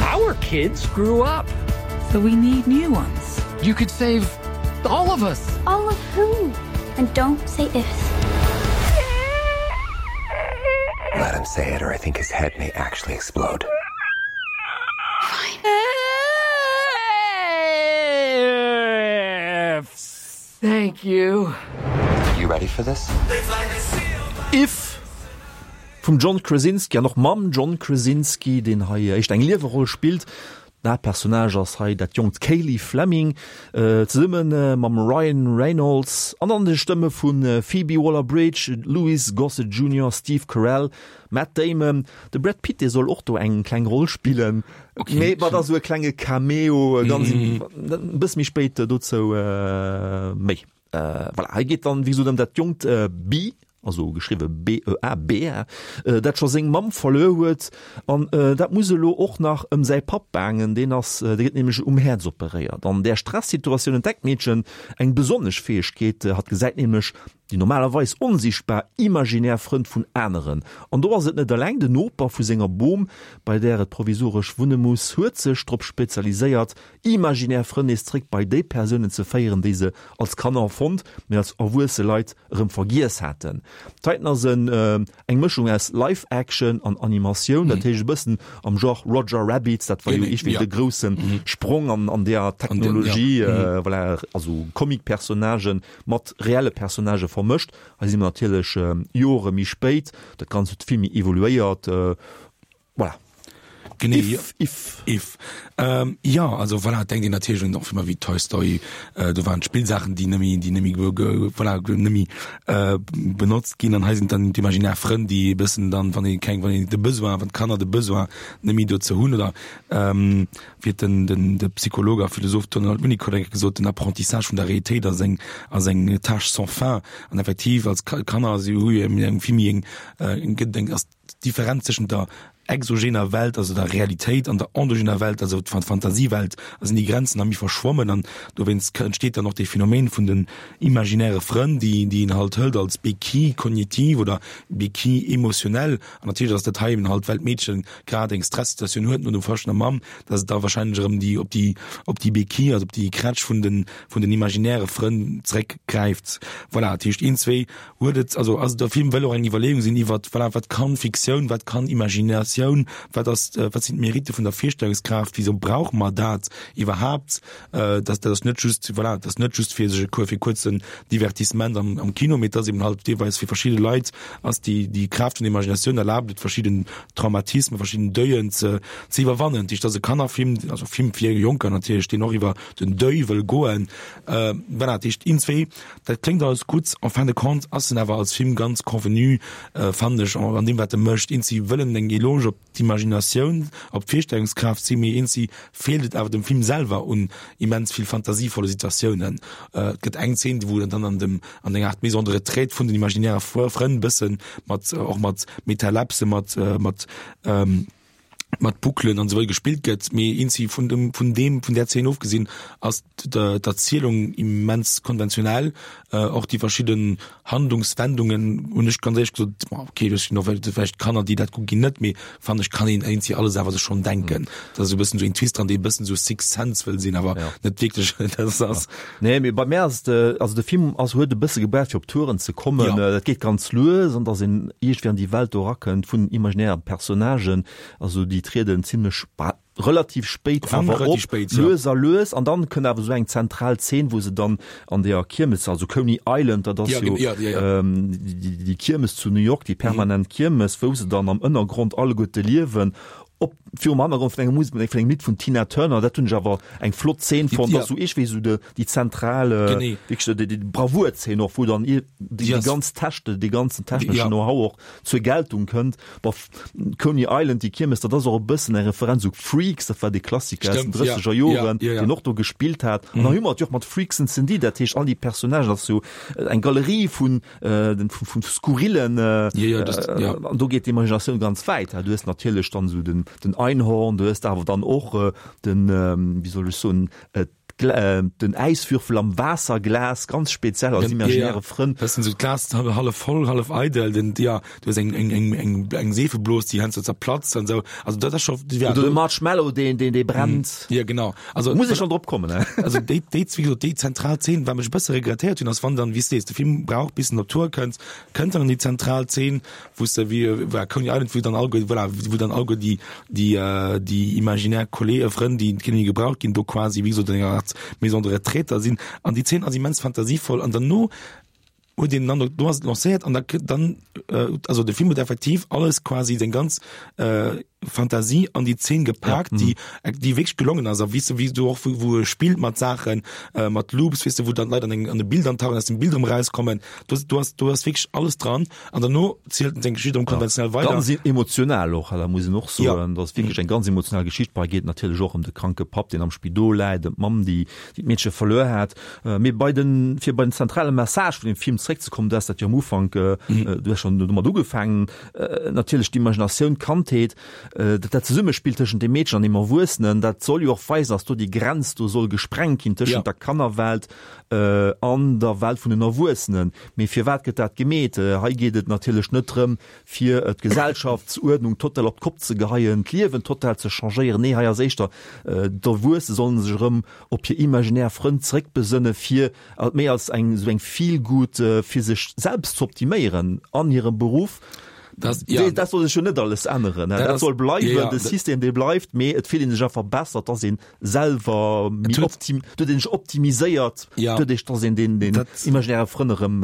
K: Our kids grew up. So we need new ones. You could save all of us. All of who? And don't say ifs. Let him say it or I think his head may actually explode. Fine. Thank you.
H: You ready for this?
B: If vum John Krasinski an och mam John Krasinski, deen hei éischt eng Lieweroll spillt. Den Haaptpersonnage ass hei dat jonkt Kaylee Fleming, zesumme mam Ryan Reynolds an an de Stëmme vu Phoebe Waller-Bridge, Louis Gossett Junior, Steve Carell, Matt Damon. De Brad Pitt, dee soll och do eng kleng Roll spillen, mee dat ass esou e klenge Cameo, ganz e bësse méi spéit dozou méi. Voilà, hei geet dann wéi gesot ëm dat jonkt Bee, also geschriwwe B E A, Bea, dat scho seng Mamm verluer huet an dat muss elo och nach ëm säi Papp baangen, deen ass, dee gëtt nämlech um Häerz operéiert. An där Stressituatioun entdeckt d'Meedchen eng besonnesch Fäegkeet, hatt gesäit nämlech déi normalerweis onsiichtbar imaginär Frënn vun aneren. An do ass et net eleng, den Noper vu senger Bom, bei där et provisoresch wunne muss, huet sech drop spezialiséiert, imaginär Frënn nees zréck bei déi Persounen ze féieren, déi se als Kanner fonnt, mee als erwuesse Leit erëm vergiess haten. Titan ass en eng Mëschung aus Live-Action an Animatioun, dat heescht e bëssen am Genre Roger Rabbit, dat war jo iergendwéi de grousse Sprong an an deeër Technologie, voilà, also Comic-Personnagen mat reelle Personnagë vermëscht. Hei si mer natierlech Jore méi spéit, dat Ganzt huet vill méi evoluéiert, voilà.
C: Genee,
B: If, if.
C: If. Ähm, ja, also voilà, et denkt een natierlech un och Filmer wéi Toy Story, äh, do waren d'Spillsaachen, déi nëmme, déi nëmme ge, ge, voilà, nëmme äh, benotzt ginn an hei sinn dann d'imaginär Frënn, déi e bëssen dann, wann ee keng, wann een de Besoin, wann d'Kanner de Besoin nëmme dozou hunn oder ähm, wéi huet den, den, de Psycholog a Philosoph Donald Winnicott eng Kéier gesot, den Apprentissage vun der Realitéit ass eng, ass eng Tâche sans fin an effektiv als Kanner si hu jo eng vill méi eng, äh, gëtt eng, ass d'Differenz tëschent der exogener Welt, also der Realitéit, an der endogener Welt, also der Fantasiewelt, da sinn déi Grenzen da méi verschwommen an dowéinst entsteet dann och dee Phänomen vun den imaginäre Frënn, déi déi een halt hëlt als Béquille cognitive oder Béquille émotionnelle. An natierlech ass dat hei eben halt, well d'Meedchen grad eng Stressituatioun huet no dem Verloscht vun der Mamm, dass et da wahrscheinlech erëm déi op déi op déi Béquille, also op déi Krätsch vun den vun den imaginäre Frënn zréckgräift. Voilà, dat heescht een, zwee huet et, also ass de Film wëll och eng Iwwerleeung sinn iwwert, voilà, wat kann Fiktioun, wat kann Imaginatioun, wat ass, wat sinn d'Meritte vun der Virstellungskraaft, wisou brauche mer dat iwwerhaapt, dass dat ass net just, voilà, dat ass net just fir sech e fir kuerzen Divertissement am am Kino, mee et ass eben halt deelweis fir verschidde Leit ass déi déi Kraaft vun der Imaginatioun erlaabt et verschidden Traumatismen, verschidden Deuillen ze ze iwwerwannen. Dat heescht, et ass e Kannerfilm, also Film fir Jonker natierlech, deen och iwwer den Deuil wëll goen. Voilà, dat heescht, iergendwéi Dat kléngt alles gutt, en fin de compte ass en awer als Film ganz convenu, fannen ech, an deem wat e mécht. Eenzi wëll en eng Eloge op d'Imaginatioun, op d'Virstellungskraaft sinn, mee eenzi feelt et awer dem Film selwer un immens vill fantasievolle Situatiounen. Et gëtt eng Zeen, wou en dann an dem, an enger Art Maison de retraite vun den imaginäre Frënn bëssen mat, och mat Metalepse, mat, mat, mat Bouclen an esou weider gespillt gëtt, mee eenzi vun dem, vun deem, vun där Zeen ofgesinn, ass d'Erzielung immens konventionell. Och déi verschidden Handlungswendungen hunn ech ganz éierlech gesot, bon okay, ech sinn och vläicht Kanner, déi dat kucke ginn, net, mee fannen ech, kann een eenzi alles awer sech schonn denken. Da ass esou e bëssen esou een Twist dran, dee e bëssen esou Sixth Sense wëll sinn, awer net wierklech dat ass.
B: Nee, mee bei mär ass et, also de Film ass, huet e bësse gebraucht fir op Touren ze kommen. Dat geet ganz lues an dass een iergendwéi an déi Welt do erakënnt vun imaginären Personnagen. Also déi trieden zimlech relativ spéit awer op, lues a lues, an dann kënnt awer esou eng zentral Zeen, wou se dann an deeër Kiermes, also Coney Island, dat ass jo déi Kiermes zu New York, déi permanent Kiermes, wou se dann am Ënnergrond alleguerte liewen, op virum Hannergrond vun enger Musek, vun engem Lidd vun Tina Turner. Dat hunn ech awer eng flott Zeen fonnt, dat ass esou iergendwéi esou déi zentral, wierklech déi Bravour-Zeen och, wou dann déi ganz Techne, dee ganzen techneschen Know-how och zur Geltung kënnt. Bof, Coney Island, déi Kiermes, dat ass och e bëssen eng Referenz u Freaks, dat war dee Klassiker aus den drësseger Joren, deen och do gespillt hat. An da hu mer et jo och mat Freaks and Sandy, dat heescht all déi Personnagen, dat ass jo eng Galerie vun, vun skurrillen, an do geet d'Imaginatioun ganz wäit. Du hues natierlech dann esou den, den Einhorn, du hues awer dann och den, wéi soll ech soen, Den Äiswürfel am Waasserglas, ganz speziell als imaginäre Frënn.
C: Dat sinn esou d'Glas hallef voll, hallef eidel. Den, ja, du hues eng, eng, eng, eng, eng Seefeblos, déi heiansdo zerplatzt an esou. Also dat ass scho,
B: ja. Oder de Marshmallow, deen, deen, dee brennt.
C: Ja, genau.
B: Also muss ech schonn drop kommen, ne?
C: Also déi, déi, wéi gesot, déi zentral Zeen, wat mech e bësse regrettéiert hunn, ass wann dann, wéi s de sees, de Film brauch bis en op Tour kënnt, kënnt dann an déi zentral Zeen, wou s de wéi, voilà, Coney Island, wou dann alleguer, voilà, wou dann alleguer déi, déi, déi imaginär Kollee, Frënn, déi kënne gebraucht ginn, do quasi, wéi gesot, an enger Art Art Maison de retraite da sinn an déi Zeen ass immens fantasievoll an derno huet een dann do ass et lancéiert an da kritt dann äh, also de Film huet effektiv alles quasi seng ganz äh, Fantasie an déi Zeen gepaakt, ja, déi mhm. déi wierklech gelongen ass a weess de wéi du och wou, wou e spillt mat Saachen äh, mat Loops weess de wou dann Leit an eng an de Bild antauchen aus dem Bild erëm rauskommen du du hast du hast wierklech alles dran an derno zielt en seng Geschicht erëm konventionell ja. weider.
B: Ganz emotional och, da muss een och soen, ja. dat ass wierklech eng ganz emotional Geschicht bei geet natierlech och ëm de kranke Papp, deen am Spidol läit, ëm d'Mamm, déi déi d'Meedche verluer hat. Äh, mee bei den fir bei den zentrale Message vun dem Film zréckzekommen, du has dat jo am Ufank, äh, mhm. du hast schon domat ugefaangen, äh, natierlech d'Imaginatioun, d'Kandheet, äh, dat dat Zesummespill tëschent dem Meedchen an dem Erwuessenen, dat soll jo och weisen, dass do déi Grenz do soll gesprengt ginn tëschent ja. der Kannerwelt äh, an der Welt vun den Erwuessenen. Mee firwat gëtt dat gemeet? Äh, hei geet et natierlech net drëm, fir d'Gesellschaftsuerdnung total op d'Kopp ze geheien, d'Liewen total ze changéieren. Nee, hei ass éischter, d'Erwuesse sollen sech erëm op hir imaginär Frënn zréckbesënne fir méi als eng esou eng Feel-Good, fir sech selbst z'optiméieren an hirem Beruff.
C: Das, ja.
B: Dat soll sech jo net alles änneren, dat, dat soll bleiwen, ja, ja, de System dee bleift, mee et fillt een sech einfach besser, dass een selwer méi optim, huet een sech optimiséiert,
C: ja.
B: doduerch dass een den, den imaginäre Frënn erëm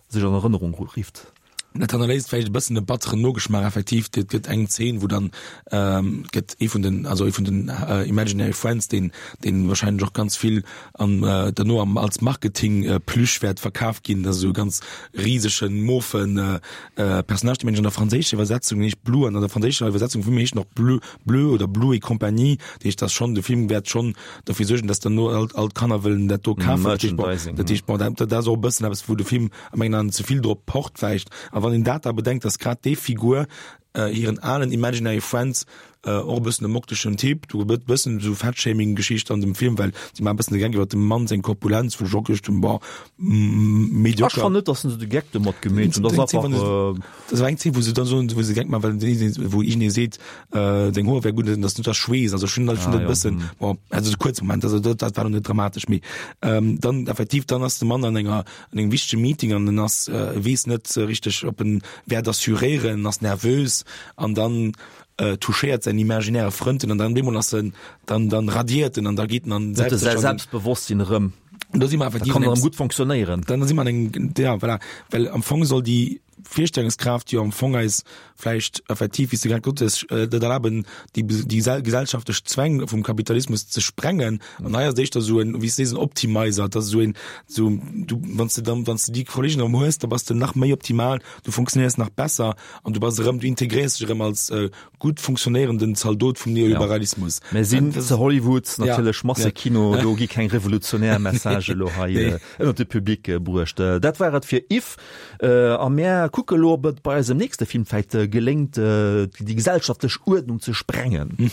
B: sech an Erënnerung rifft.
C: Dat hannerléisst vläicht e bëssen e batteren Nogeschmaach effektiv. Et gëtt eng Zeen, wou dann ähm, gëtt ee vun den, also ee vun den äh, Imaginary Friends, deen, deen wahrscheinlech och ganz vill an äh, derno am, als Marketing äh, Plüsch wäert verkaf ginn, dat ass esou e ganz risegen, mofen äh, äh, Personnage, dee mengen ech an der franséischer Iwwersetzung heescht Blue, an an der franséischer Iwwersetzung vum heescht en och Bleu, Bleu oder Blue et compagnie. Dat heescht, dass schonn, de Film wäert schonn dofir suergen, dass derno all, all d'Kanner wëllen dat do kafen. Dat heescht, bon,
B: Merchandising,
C: dat heescht, bon, dat, dat ass och e bëssen eppes, wou de Film a mengen Aen ze vill drop pocht vläicht. A wann een dat da bedenkt, dass grad déi Figur hiren alen imaginary friends, och e bëssen e mokteschen Typ, do gëtt e bëssen esou Fat-Shaming-Geschicht an dem Film, well si maachen e bëssen de Geck iwwer dem Mann seng Korpulenz, wou ech och geduecht hunn, bon,
B: Ech
C: médiocre.
B: fannen net, dass se de Geck domat gemeet hunn, dat ass einfach.
C: Dat war eng Zeen, wou se dann soen, wou se de Geck maachen, well wou iergendee seet, seng Hoer wär gutt, dass net der Schweess, also ech hunn dat schonn e bëssen, bon, also e kuerze Moment, also dat dat war lo net dramatesch, mee dann effektiv, dann ass de Mann an enger an engem wichtege Meeting an en ass, e weess net richteg, ob en wäert assuréieren, en ass nervös an dann touchéiert säin imaginäre Frënd en an dann op eemol ass en, dann dann radiert en an da geet en an
B: Huet e säi Selbstbewosstsinn erëm.
C: Da si mer
B: Da
C: effektiv
B: kann
C: an
B: en erëm
C: engem
B: gutt fonctionnéieren.
C: Dann si mer an engem, ja voilà, well am Fong soll déi Virstellungskraaft jo am Fong eis vläicht effektiv, wéi s de grad gesot hues, dat erlaben, déi déi gesellschaftlech Zwäng vum Kapitalismus ze sprengen. An hei ass et éischter esou en, wéi s de sees, en Optimizer. Et ass esou een, esou du, wann s de dann, wann s de déi Kollegen erëm hues, da bass de nach méi optimal, du funktionéiers nach besser an du bass erëm, du integréiers dech erëm als gutt funktionéierenden Zaldot vum Neoliberalismus.
B: Mir sinn zu Hollywood, natierlech Massekino, do gi keng revolutionär Messagë lo hei ënnert de Public bruecht. Dat war et fir If. A mär kucke lo, ob et bei eisem nächste Film vläicht geléngt, déi gesellschaftlech Uerdnung ze sprengen.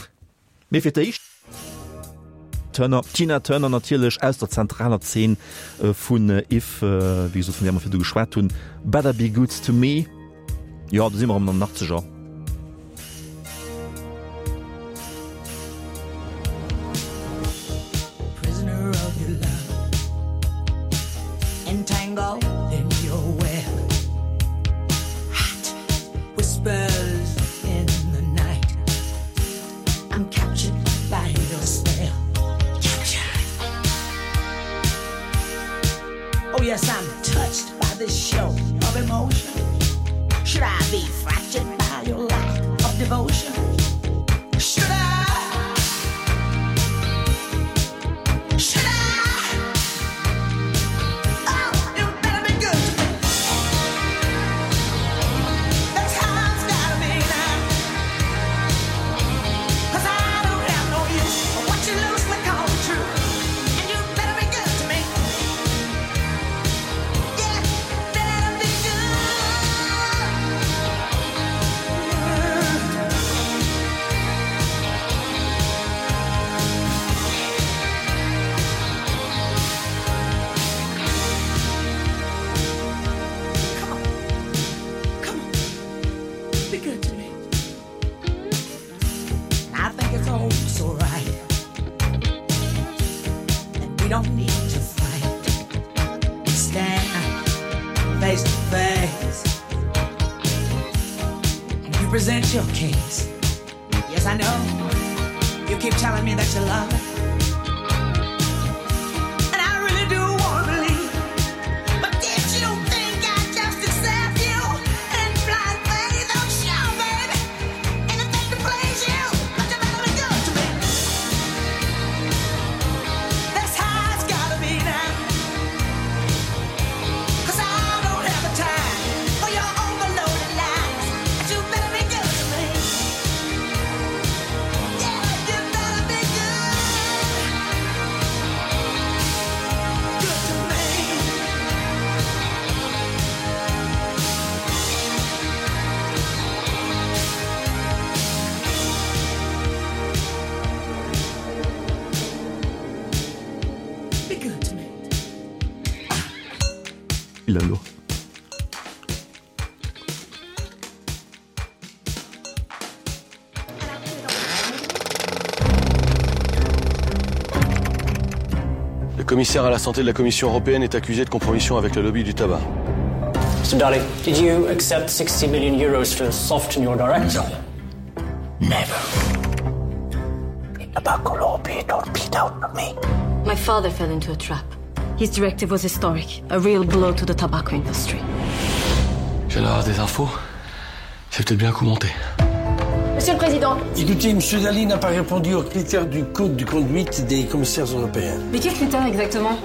B: Mee fir d'éischt. Turner, Tina Turner natierlech aus der zentraler Zeen vun If, wéi gesot, vun där mer virdu geschwat hunn, Better Be Good To Me. Jo, do si mer erëm an den Achtzeger.
L: Prisoner of your love Entangled in your web Hot whispers in the night I'm captured by your spell Captured Oh yes, I'm touched by this show of emotion Should I be fractured by your lack of devotion? Should I? Should I? Oh, you better be good to me. That's how it's gotta be now. 'Cause I don't have no use for what you loosely call the truth. And you better be good to me. Yeah, better be good. Come on, come on, be good to me. I think it's all so right that we don't need to fight. Stand face to face, and you present your case. Yes, I know. You keep telling me that you love me.
M: commissaire à la santé de la Commission européenne est accusé de compromission avec le lobby du tabac.
N: Mr. Dalli, did you accept sixty million euros to soften your directive?
L: No. Never. Tobacco lobby torpedoed me.
O: My father fell into a trap. His directive was historic, a real blow to the tobacco industry.
M: Je viens d'avoir des infos. C'est peut-être bien commenté.
O: Monsieur le Président.
P: Écoutez, Monsieur Dalli n'a pas répondu aux critères du code de conduite des commissaires européens.
O: Mais quels critères exactement?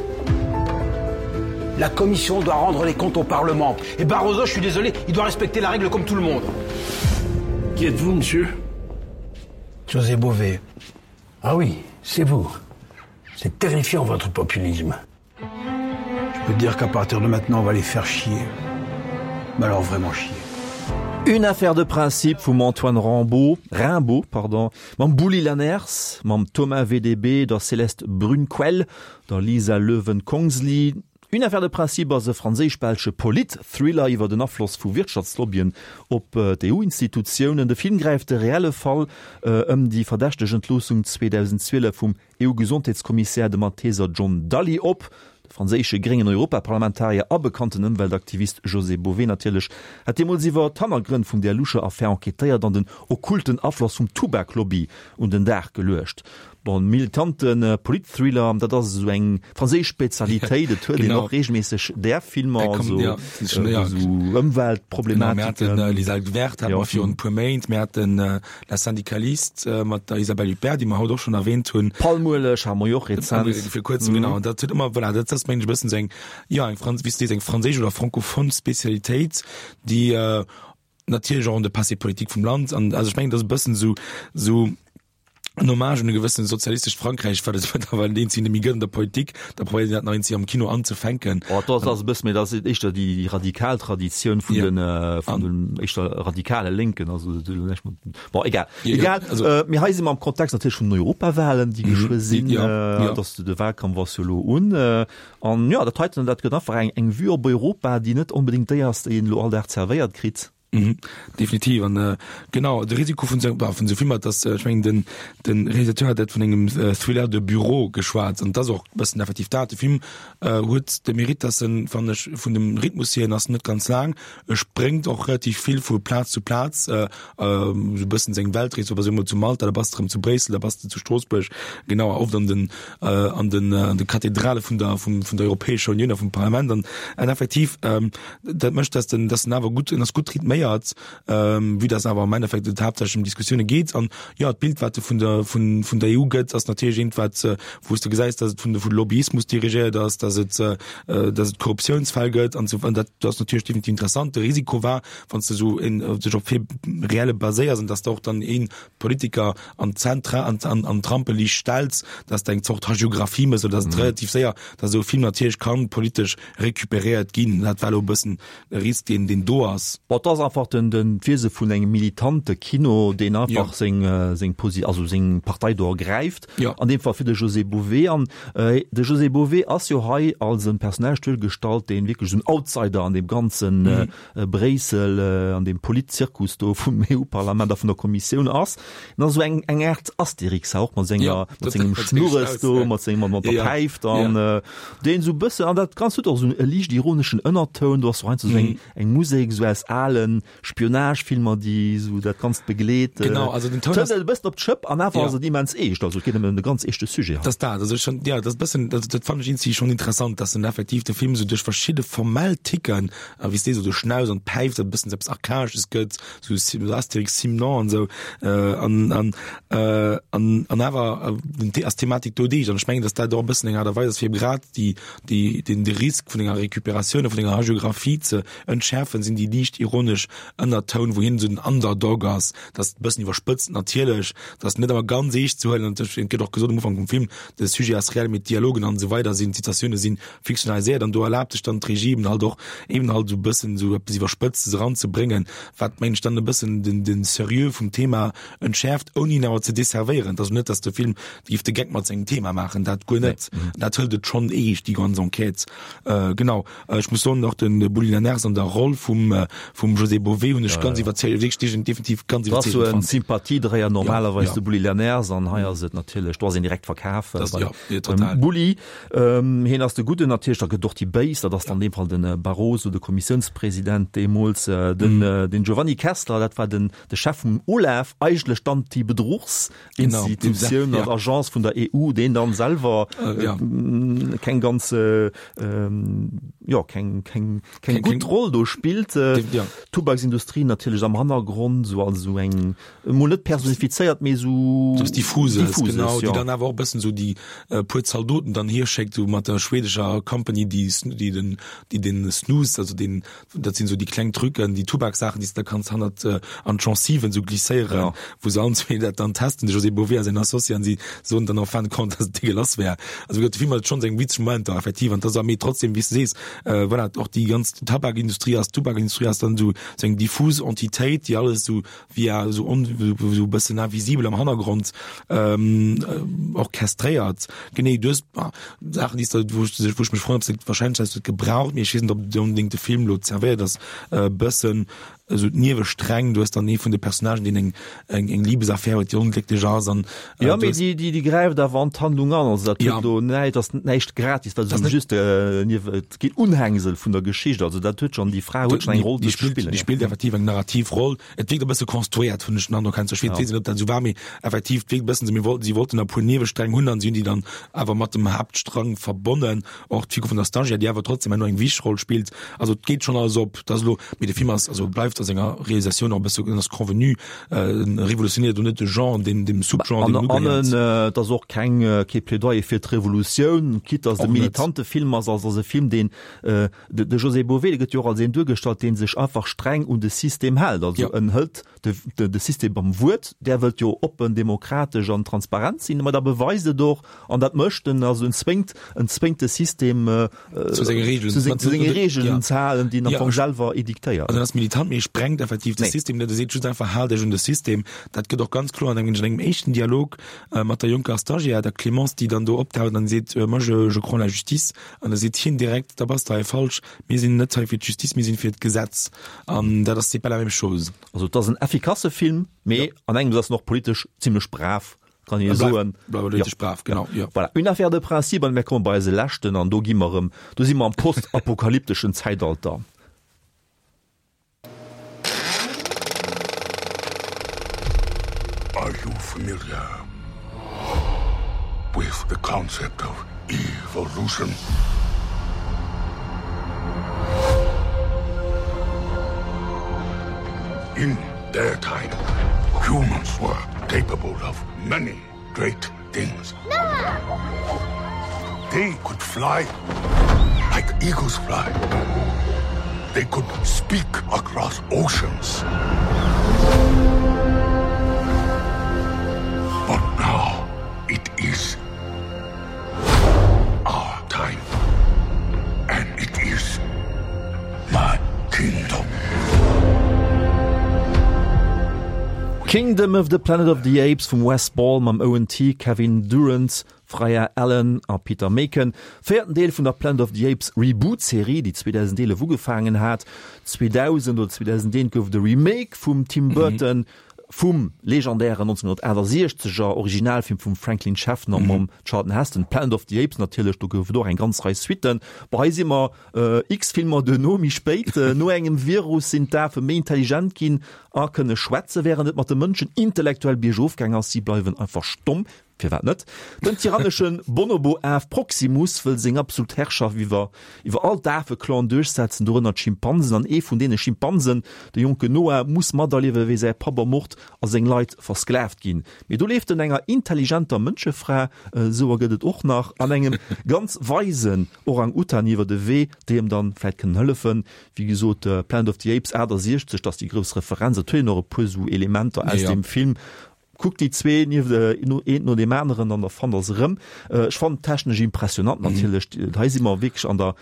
Q: La Commission doit rendre les comptes au Parlement. Et Barroso, je suis désolé, il doit respecter la règle comme tout le monde.
P: Qui êtes-vous, monsieur? José Bové. Ah oui, c'est vous. C'est terrifiant votre populisme. Je peux dire qu'à partir de maintenant, on va les faire chier. Mais alors vraiment chier.
B: Une affaire de principe vum Antoine Rambaud, Rimbaud, pardon, mam Bouli Lanners, mam Thomas V D B, der Céleste Brunnquell, der Lisa Löwen Kongsli. Une affaire de principe ass e franséisch-belsche Polit-Thriller iwwer den Afloss vu Wirtschaftslobbyen op d'E U-Institutiounen. De Film gräift de reelle Fall ëm déi verdächteg Entloossung zweedausendzwielef vum E U-Gesondheetskommissär, dem Malteser John Dalli, op. De franséische gréngen Europaparlamentarier a bekannten Ëmweltaktivist José Bové natierlech hat deemools iwwer d'Hannergrënn vun där loucher Affär enquêtéiert an den okkulten Afloss vum Tubaklobby un den Dag geluecht. Bon, militante Polit-Thriller, dat ass esou eng franséisch Spezialitéit, et huet een och reegelméisseg där Filmer, also esou Ëmweltproblematiken.
C: Mir haten Les Algues Vertes, hate mer virun e puer Méint, mir haten La Syndicaliste mat der Isabelle Huppert, déi mer haut och schonn erwähnt hunn.
B: Palmueleg hate mer jo och rezent.
C: Vir kuerzem, genau. An dat huet ëmmer, voilà, dat ass, mengen ech, e bëssen esou eng, jo, eng Frans-, wéi s de sees, eng franséisch oder francophone Spezialitéit, déi natierlech och an de Passé politique vum Land an, also ech mengen, dat ass e bëssen esou, esou en Hommage un e gewëssene sozialistescht Frankräich, wat et mëttlerweil an deem Sinn net méi gëtt an der Politik, da probéiert een dat nach eenzeg am Kino anzefänken.
B: Oh, dat ass e bësse méi, dat ass éischter déi radikal Traditioun vun den, vun den éischter radikale Lénken, also bon, egal. Egal, mee hei si mer am Kontext natierlech vun den Europawahlen, déi geschwë sinn, dass de Wahlkampf ass jo elo un. An jo, dat heiten, dat gëtt einfach eng, eng Vue op Europa, déi net onbedéngt déi ass, déi een elo all Dag zerwéiert kritt.
C: Mhm, definitiv an äh, genau de Risiko vun sou vun sou Filmer, dass äh, ech mengen den den Realisateur hat dat vun engem äh, Thriller de Bureau geschwat an dat ass och bëssen effektiv dat. De Film äh, huet de Mérite, dass en fannen ech vun dem Rhythmus hier en ass net ganz laang, e spréngt och relativ vill vu Plaz zu Plaz, äh, äh, sou bëssen seng Weltrees, do bass du emol zu Malta, da bass de erëm zu Bréissel, da bass de zu Stroossbuerg, genau oft an den äh, an den äh, an de Kathedrale vun der vum vun der Europäescher Unioun a vum Parlament an an effektiv ähm, dat mécht, dass den dass den awer gutt en ass gutt rhythméiert, ähm, vue dass awer am Endeffekt et haaptsächlech ëm Diskussioune geet an jo d'Bild wat de vun der vun vun der E U gëtt ass natierlech eent wat äh, wou s de gesäis, dass et vun de vu Lobbyismus dirigéiert ass, dass et äh, dass et Korruptiounsfäll gëtt an sou an dat dat ass natierlech definitiv interessant. De Risiko war, wann s de sou en dech op Fait réelle baséiers an dass de och dann een Politiker an d'Zentra an an an d'Rampeliicht stells, dass de eng Zort Hagiographie méchs oder dass et relativ séier, dass esou e Film natierlech kann politesch recuperéiert ginn. Dat war elo e bëssen e Risk, deen deen do ass.
B: Bon, et ass einfach den den d'Wiese vun engem militante Kino, deen einfach seng seng Posi also seng Partei do ergräift, an deem Fall fir de José Bové. An de José Bové ass jo hei als e Personnage duergestallt, deen wierklech esou en Outsider an deem ganzen Bréissel, an deem Politzirkus do vum E U-Parlament a vun der Kommissioun ass. En ass esou eng eng Aart Asterix och mat senger mat sengem Schnurres do, mat sengem mat der Päif dann, deen esou e bëssen, an dat Ganzt huet och esou e liicht ironeschen Ënnertoun, do ass och heiansdo esou eng eng Musek esou aus alen Spionagefilmer, déi esou dat Ganzt begleet.
C: Genau, also den Toun ass
B: e bëssen op d'Schëpp an awer ass et immens eescht, also et geet ëm e ganz eeschte Sujet
C: hei. Dat ass dat, also schon, ja, dat ass e bëssen, dat dat fannen ech iergendwéi schonn interessant, dass en effektiv de Film esou duerch verschidde formell Ticken, a wéi s de esou de Schnauz an d'Päif, dat e bëssen eppes Archaesches gëtt, sou Asterix Simon an esou, an an an an awer ass d'Thematik do deeg. An ech mengen, dass dat och e bëssen eng Aart a Weis ass, fir grad déi déi den de Risk vun enger Recuperatioun a vun enger Hagiographie ze entschäerfen, sinn déi liicht ironesch Ënnertoun, wou hien esou den Underdog ass. Dat ass e bëssen iwwerspëtzt natierlech, dat ass net ëmmer ganz eescht ze huelen. An et gëtt och gesot am Ufank vum Film, de Sujet ass reell, mee d'Dialogen an esou weider sinn, d'Situatioune sinn fiktionaliséiert. An do erlaabt sech dann d'Regie eben halt och eben halt esou e bëssen esou eppes Iwwerspëtztes eranzebréngen, wat, mengen ech, dann e bëssen den den Serieux vum Thema entschäerft, ouni en awer ze desservéieren. Et ass net, dass de Film géif de Geck mat sengem Thema maachen, dat guer net. Dat hëlt et schonn eescht, déi ganz Enquête. Genau, ech muss soen, och de Bouli Lanners an der Roll vum vum José José Bové hunn ech ganz iwwerzeegend, wierklech dee hunn definitiv ganz
B: Dat ass
C: iwwerzeegend
B: esou en
C: fonnt.
B: Sympathiedréier normalerweis,
C: Ja,
B: de Bulli Lenaers, an hei ass et natierlech, do ass een direkt verkaf
C: Das,
B: beim
C: ja, ja, total.
B: Bulli. Hien ass de Gudden natierlech, da gëtt och déi Béis, dat ass dann an deem Fall de Barroso, de Kommissiounspresident deemools, den den Giovanni Kessler, dat war den de Chef vum OLAF, eigentlech d'Anti-Bedruchs-Institutioun
C: Genau,
B: an Agence vun der E U, deen dann selwer
C: Äh, ja.
B: keng ganz äh, jo, keng keng keng
C: Keng-
B: gutt
C: keng-
B: Roll do spillt. Äh,
C: Ja.
B: Tubaksindustrie natierlech am Hannergrond, sou als sou eng mol net personifizéiert, mee sou
C: Sou was Diffuses,
B: Diffuses,
C: genau,
B: ja.
C: déi dann awer och e bëssen sou déi äh, puer Zaldoten dann hier schéckt, sou mat der schwedescher Company, déi, déi den, déi den Snus, also den, dat sinn sou déi kleng Trucken, déi Tubaksaachen, déi s de da kanns hannert äh, an d'Genciven sou glisséieren,
B: Ja.
C: wou se allen zwee dat dann testen, de José Bové a säin Associé, an si soen dann en fin de compte, dass et dégueulasse wär. Also wéi gesot, de Film huet schonn seng witzeg Momenter, effektiv, an dat ass mee trotzdem, wéi s de sees, äh, voilà, och déi ganz Tabakindustrie ass, Tubaksindustrie ass dann sou, sou eng diffus Entitéit, déi alles sou via sou on, sou e bëssen invisibel am Hannergrond ähm, äh, orchestréiert. Genee, du hues ah, Saachen, déi s de, wou ech, wou ech mech froen, ob se wahrscheinlech hues du et gebraucht, mee ech weess net, ob et onbedéngt de Film lo zerwéiert ass, e bëssen esou d'Niewestränk, du hues dann ee vun de Personnagen, deen eng, eng, eng Liebesaffär huet, déi onglécklech ass an äh,
B: Ja,
C: du
B: mee
C: hues-
B: déi, déi, déi gräift awer an d'Handlung an, also dat
C: Ja.
B: huet do näischt, ass näischt gratis, dat
C: Das
B: ass
C: net-
B: just äh, Niewe, et geet Unhängsel vun der Geschicht, also dat huet schonn, déi Fra huet schonn eng Roll
C: déi
B: ze
C: spillt,
B: spillen.
C: déi spillt effektiv eng narrativ Roll. Et wierkt e bësse konstruéiert, hunn ech den Androck, heiansdo. Ech
B: Ja.
C: weess net, ob dat esou war, mee effektiv, et wierkt e bëssen, si wollten, si wollten e puer Niewestränk hunn an si hunn déi dann awer mat dem Haaptstrang verbonnen. Och d'Figur vun der Stagiaire, déi awer trotzdem herno eng wichteg Roll spillt. Also et geet schonn alles op. Dat ass elo, mee de Film ass, also bleift a senger Realisatioun och e bësse, en ass convenu, äh, revolutionéiert do net de Genre, dem, dem Subgenre,
B: An,
C: deem en
B: an
C: ugehéiert.
B: en, äh, et ass och keng, äh, kee Plädoyer fir d'Revolutioun, quitte dass de
C: Och net.
B: militante Film ass, also ass e Film, deen, äh, de, de José Bové, dee gëtt jo och als een duergestallt, deen sech einfach streng un de System hält. Also
C: Ja.
B: en hëlt de, de, de System beim Wuert, där wëllt jo oppen, demokratesch an transparent sinn, ma da beweist et och, an dat mécht en, also en zwéngt, en zwéngt de System äh,
C: Zu senge Regeln.
B: zu seng, zu senge Regeln
C: Ja.
B: ze halen, déi en am
C: Ja,
B: Fong
C: ech-
B: selwer ediktéiert.
C: Also dat ass militant, mee sprengt effektiv de
B: Nee.
C: System net, e seet just einfach, haalt iech un de System. Dat gëtt och ganz kloer an engem, engem éischten Dialog äh, mat der jonker Stagiaire, der Clémence, déi dann do optaucht an seet, äh, moi je, je crois en la justice. An da seet hien direkt, da bass de hei falsch, mir sinn net hei fir d'Justice, mir sinn fir d'Gesetz. An dat ass c'est pas la même chose.
B: Also dat ass en effikasse Film, mee an engem ass nach politesch zimmlech brav, kann ee
C: E bleift-
B: soen.
C: bleift politesch brav, genau, ja.
B: Voilà. Une affaire de principe, an mir komme bei eise leschten, an do gi mer erëm, do si mer am postapokalypteschen Zäitalter.
R: Are you familiar with the concept of evolution? In their time, humans were capable of many great things. They could fly like eagles fly. They could speak across oceans. But now it is our time. And it is my kingdom.
B: Kingdom of the Planet of the Apes vum Wes Ball mam Owen Teague, Kevin Durand, Freya Allan a Peter Machen. Véierten Deel vun der Planet of the Apes Reboot-Serie, déi zweedausendeelef ugefaangen hat. zweedausend oder zweedausendeent gouf de Remake vum Tim Burton, vum legendären nonzénhunnertaachtasechzeger Originalfilm vum Franklin Schaffner mam Charlton Heston, Planet of the Apes natierlech, do gouf et och eng ganz Rei Suitten. Bon, hei si mer x Filmer duerno, méi spéit, no engem Virus sinn d'Afe méi intelligent ginn a kënne schwätzen, wärend et mat de Mënschen intellektuell biergof gaang ass, si bleiwen einfach stomm. Firwat net? Den tyrannesche Bonobo-Af Proximus wëll seng absolut Herrschaft iwwer iwwer all d'Afeclanen duerchsetzen, dorënner d'Schimpansen. An ee vun deene Schimpansen, de jonken Noah, muss materliewen, wéi säi Papp ermort a seng Leit versklavt ginn. Mee do leeft en enger intelligenter Mënschefra, esou gëtt et och nach, an engem ganz weisen Orang-Utan iwwer de Wee, déi em dann vläicht kënnen hëllefen. Wéi gesot, Planet of the Apes achtasiechzeg, dat ass déi grouss Referenz. Et huet een och e puer esou Elementer aus
C: Ja.
B: deem Film. Kuckt déi zwee nieft eent no deem aneren an da fannt der se erëm. Ech fannen technesch impressionant natierlech. Hei si mer wierklech an der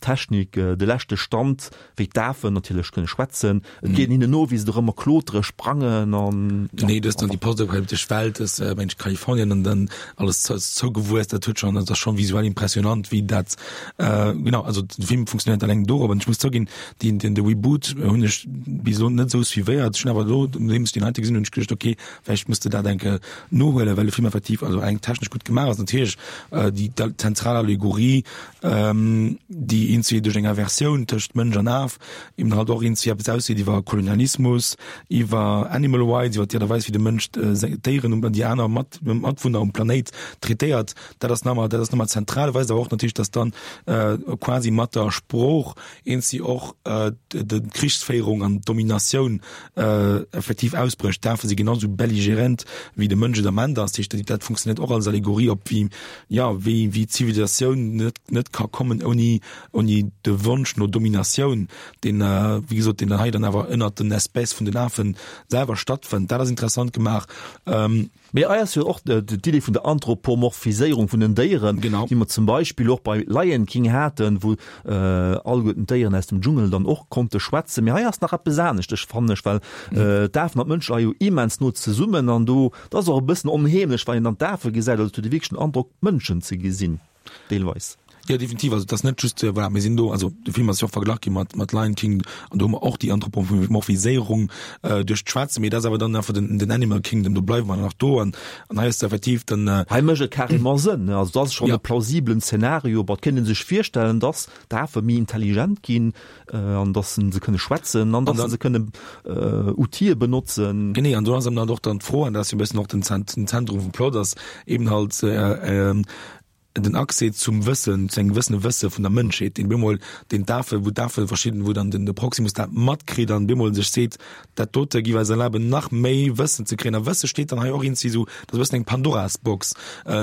B: Technik de leschte Stand, wéi d'Afen natierlech kënne schwätzen. Et geet hinnen no, wéi se dorëmmer klotere, sprangen an.
C: Genee, du hues dann déi postapokalyptesch Welt, das mensch Kalifornien an dann alles zougewuess, dat huet schon, dat ass schon visuell impressionant, wéi dat, genau, also de Film funktionéiert alleng dorop. An ech muss zouginn, deen, den de Reboot hunn ech bis elo net esou suivéiert. Ech hunn awer elo, nodeems ech deen heite gesinn hunn, hunn ech geduecht, okay, vläicht muss de dat eng Kéier nohuelen, well de Film effektiv also eng technesch gutt gemaach ass. Natierlech déi zentral Allegorie, déi eenzi duerch eng Inversioun tëscht Mënsch an Af eben halt och eenzi eppes ausseet iwwer Kolonialismus, iwwer Animal Rights, iwwer d'Aart a Weis wéi de Mënsch d'Déieren an déi aner Mat Matwunner um Planéit traitéiert. Dat ass nach emmer, dat ass nach emmer zentral, weist awer och natierlech, datt dann quasi mat der Sprooch eenzi och d'Krichsféierung an d'Dominatioun effektiv ausbrécht. D'Afe si genau sou belligérant wéi de Mënsch et am Ament ass. Dat heescht, dat funktionéiert och als Allegorie op wéi, jo, wéi, wéi d'Zivilisatioun net, net ka kommen ouni, ouni de Wonsch no Dominatioun, deen, wéi gesot, deen hei dann awer ënnert den Espèce vun den Afe selwer stattfënnt. Dat ass interessant gemaach.
B: Mee hei ass jo och d'Idee vun der Anthropomorphiséierung vun den Déieren, déi mer zum Beispill och bei Lion King haten, wou alleguerten d'Déieren aus dem Dschungel dann och konnte schwätzen. Mee hei ass nach eppes aneschteg, fannen ech, well d'Afen an d'Mënsche hei jo immens no zesummen an do, dat ass och e bëssen onheemlech, wann een dann d'Afe gesäit, also et huet ee wierklech den Androck, Mënschen ze gesinn, deelweis.
C: Jo, definitiv. Also et ass net just, voilà, mir sinn do, also de Film ass jo och verglach gi mat, mat Lion King an do hu mer och déi Anthropomorphiséierung duerch d'Schwätzen, mee dat ass awer dann einfach den, den Animal Kingdom, do bleiwe mer dann nach do an, an hei ass et effektiv dann.
B: Hei mécht et carrément Sënn, ne? Also dat ass schonn e plausiblen Zeenario. Bon, et kéint ee sech virstellen, dass d'Afe méi intelligent ginn an dass se kënne schwätzen an dass se kënne Outile benotzen.
C: Genee, an do ass eben halt och dann d'Fro, an dat ass jo e bëssen och den Zentrum vum Plot, ass eben halt, den Accès zum Wëssen, zu engem gewëssene Wësse vun der Mënschheet, deen bemol deen d'Afe, wou d'Afe verschidden, wou dann den de Proximus dat matkritt an bemol sech seet, dat dote giff eis erlaben nach méi Wëssen ze kréien. A Wësse steet dann hei och iergendwéi esou, dat ass e bëssen eng Pandoras-Box.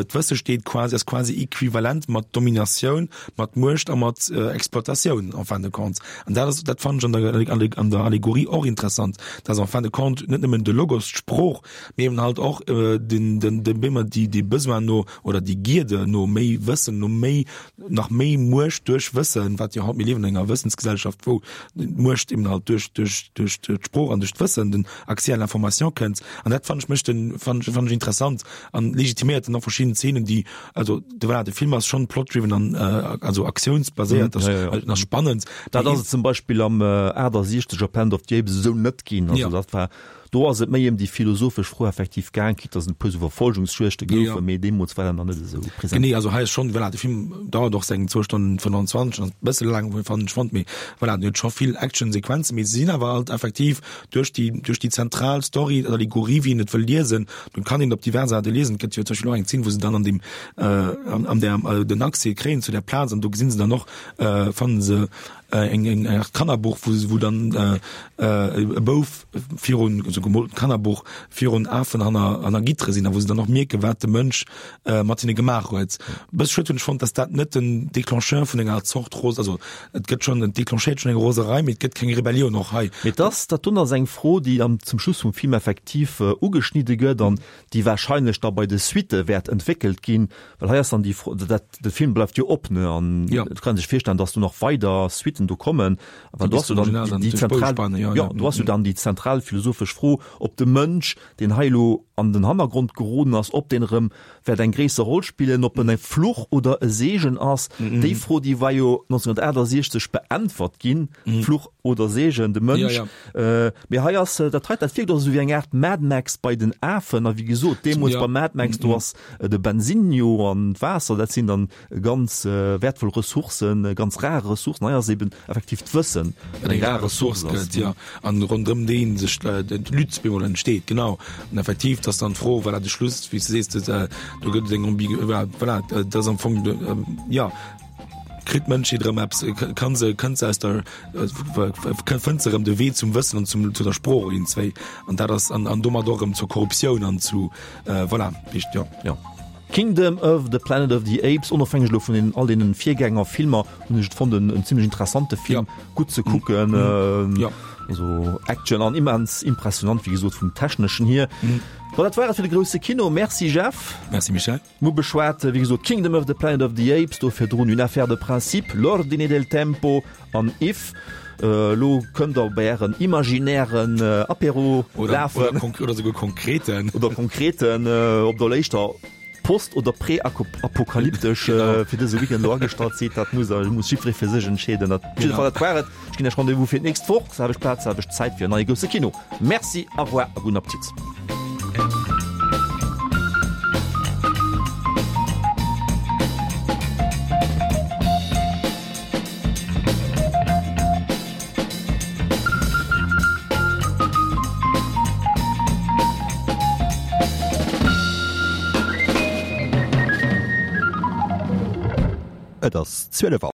C: D'Wësse steet quasi, ass quasi equivalent mat Dominatioun, mat Muecht a mat Exploitatioun en fin de compte. An dat ass, dat fannen ech an der, an der Allegorie och interessant, dass en fin de compte net nëmmen de Logos, d'Sprooch, mee eben halt och den, den, den, bemol déi, dee Besoin no, oder déi Gierde no méi Wëssen, no méi, nach méi Muecht duerch Wëssen, wat jo haut, mir liewen an enger Wëssensgesellschaft, wou d'Muecht eben halt duerch, duerch, duerch d'Sprooch an duerch d'Wëssen, den Accès à l'information kënnt. An dat fannen ech mécht den, fannen ech, fannen ech interessant an legitiméiert dann och verschidden Szenen, déi, also de, voilà, de Film ass schonn plot-driven an, also aktiounsbaséiert, ass, ass spannend.
B: Dat ass et zum Beispill am achtasiechzeger Planet of the Apes esou net ginn. Also dat war Do ass et méi ëm déi philosophesch Fro effektiv gaang, quitte dass et e puer sou Verfolgungsjuegte goufen, mee deemools war dat nach net esou
C: present. Genee, also hei ass schonn, voilà, de Film dauert och seng zwou Stonnen fënnanzwanzeg, ass e bësse laang, fannen ech, fonnt, mee voilà, en huet scho vill Actionsequenzen, mee se sinn awer alt effektiv duerch déi, duerch déi zentral Story, Allegorie, wéi een et wëll liesen, do kann een et op divers Aarte liesen. Et gëtt jo zum Beispill och eng Zeen, wou se dann an deem, an, an där, den Accès kréien zu där Plaz an do gesinn se dann och, fannen se eng eng Art Kannerbuch, wou wou dann e Bouf virun, also gemoltent Kannerbuch, virun Afen hanner hanner Gittere sinn a wou se dann och mierken, wat de Mënsch mat hinne gemaach huet. E bësse schued hunn ech fonnt, datt dat net den Déclencheur vun enger Zort Ros, also et gëtt schonn, et déclenchéiert schonn eng Roserei, mee et gëtt keng Rebellioun och hei.
B: Mee et ass, dat dunn ass eng Fro, déi am zum Schluss vum Film effektiv ugeschnidde gëtt an déi wahrscheinlech da bei de Suitte wäert entwéckelt ginn, well hei ass dann déi Fro, dat, de Film bleift jo op, ne, an
C: Ja.
B: et kann ee sech virstellen, dass do nach weider Suitten do kommen, well
C: Déi
B: do
C: bis
B: ass jo
C: zum
B: dann
C: Original
B: déi,
C: dann
B: déi
C: duerch
B: zentral,
C: Bouschpanne, ja,
B: ja,
C: ja.
B: do ass jo dann déi zentral philosophesch Fro, ob de Mënsch, deen hei elo an den Hannergrond geroden ass, ob deen erëm wäert eng gréisser Roll spillen, ob en e Fluch oder e Seegen ass. Déi Fro, déi war jo neunzehnhundertachtundsechzeg beäntwert ginn, Fluch oder Seegen, de Mënsch.
C: Ja, ja.
B: Mee hei ass dat hei, dat wierkt och esou wéi eng Aart Mad Max bei den Afen. A wéi gesot, deemools
C: Ja.
B: bei Mad Max, do ass de Bensin jo an d'Waasser, dat sinn dann ganz wäertvoll Ressourcen, ganz rar Ressourcen. Hei ass eben effektiv d'Wëssen,
C: wat eng rar Ressource gëtt, jo, an ronderëm déi sech d'Lutte bemol entsteet, genau. An effektiv, dass dann d'Fro, voilà, de Schluss, wéi s de sees, do gëtt et eng Ambigu, voilà, dat ass am Fong, jo, kritt d'Mënschheet erëm eppes, kann se, kënnt se aus der, fënnt se erëm de Wee zum Wëssen an zum, zu der Sprooch iergendzwéi. An dat ass, an, an domat och erëm zur Korruptioun an zu, voilà, wéi, jo.
B: Jo. Kingdom of the Planet of the Apes, onofhängeg elo vun den all deenen Virgängerfilmer, hunn ech et fonnt en, en zimlech interessante Film,
C: Ja.
B: gutt ze kucken.
C: Ja.
B: Also Action an immens impressionant, wéi gesot vum techneschen hier. Mhm. Bon, dat war et fir de grousse Kino. Merci Jeff.
C: Merci Michel.
B: Mir beschwat, wéi gesot, Kingdom of the Planet of the Apes, do virdrun Une affaire de principe, L'ordine del tempo an If. Elo kënnt der bei ären imaginären Apéro
C: lafen. Oder, oder souguer konkreten.
B: Oder konkreten, ob der léischter post oder prä-apokalyptesch fir dëse Weekend elo agestallt sidd, dat muss muss jiddweree fir sech entscheeden. Dat op jidde Fall, dat war et. Ech ginn Iech Rendez-vous fir d'nächst Woch, selwecht Plaz, selwecht Zäit fir en neie grousse Kino. Merci, au revoir a gudden Appetit.
S: Et ass zwielef Auer.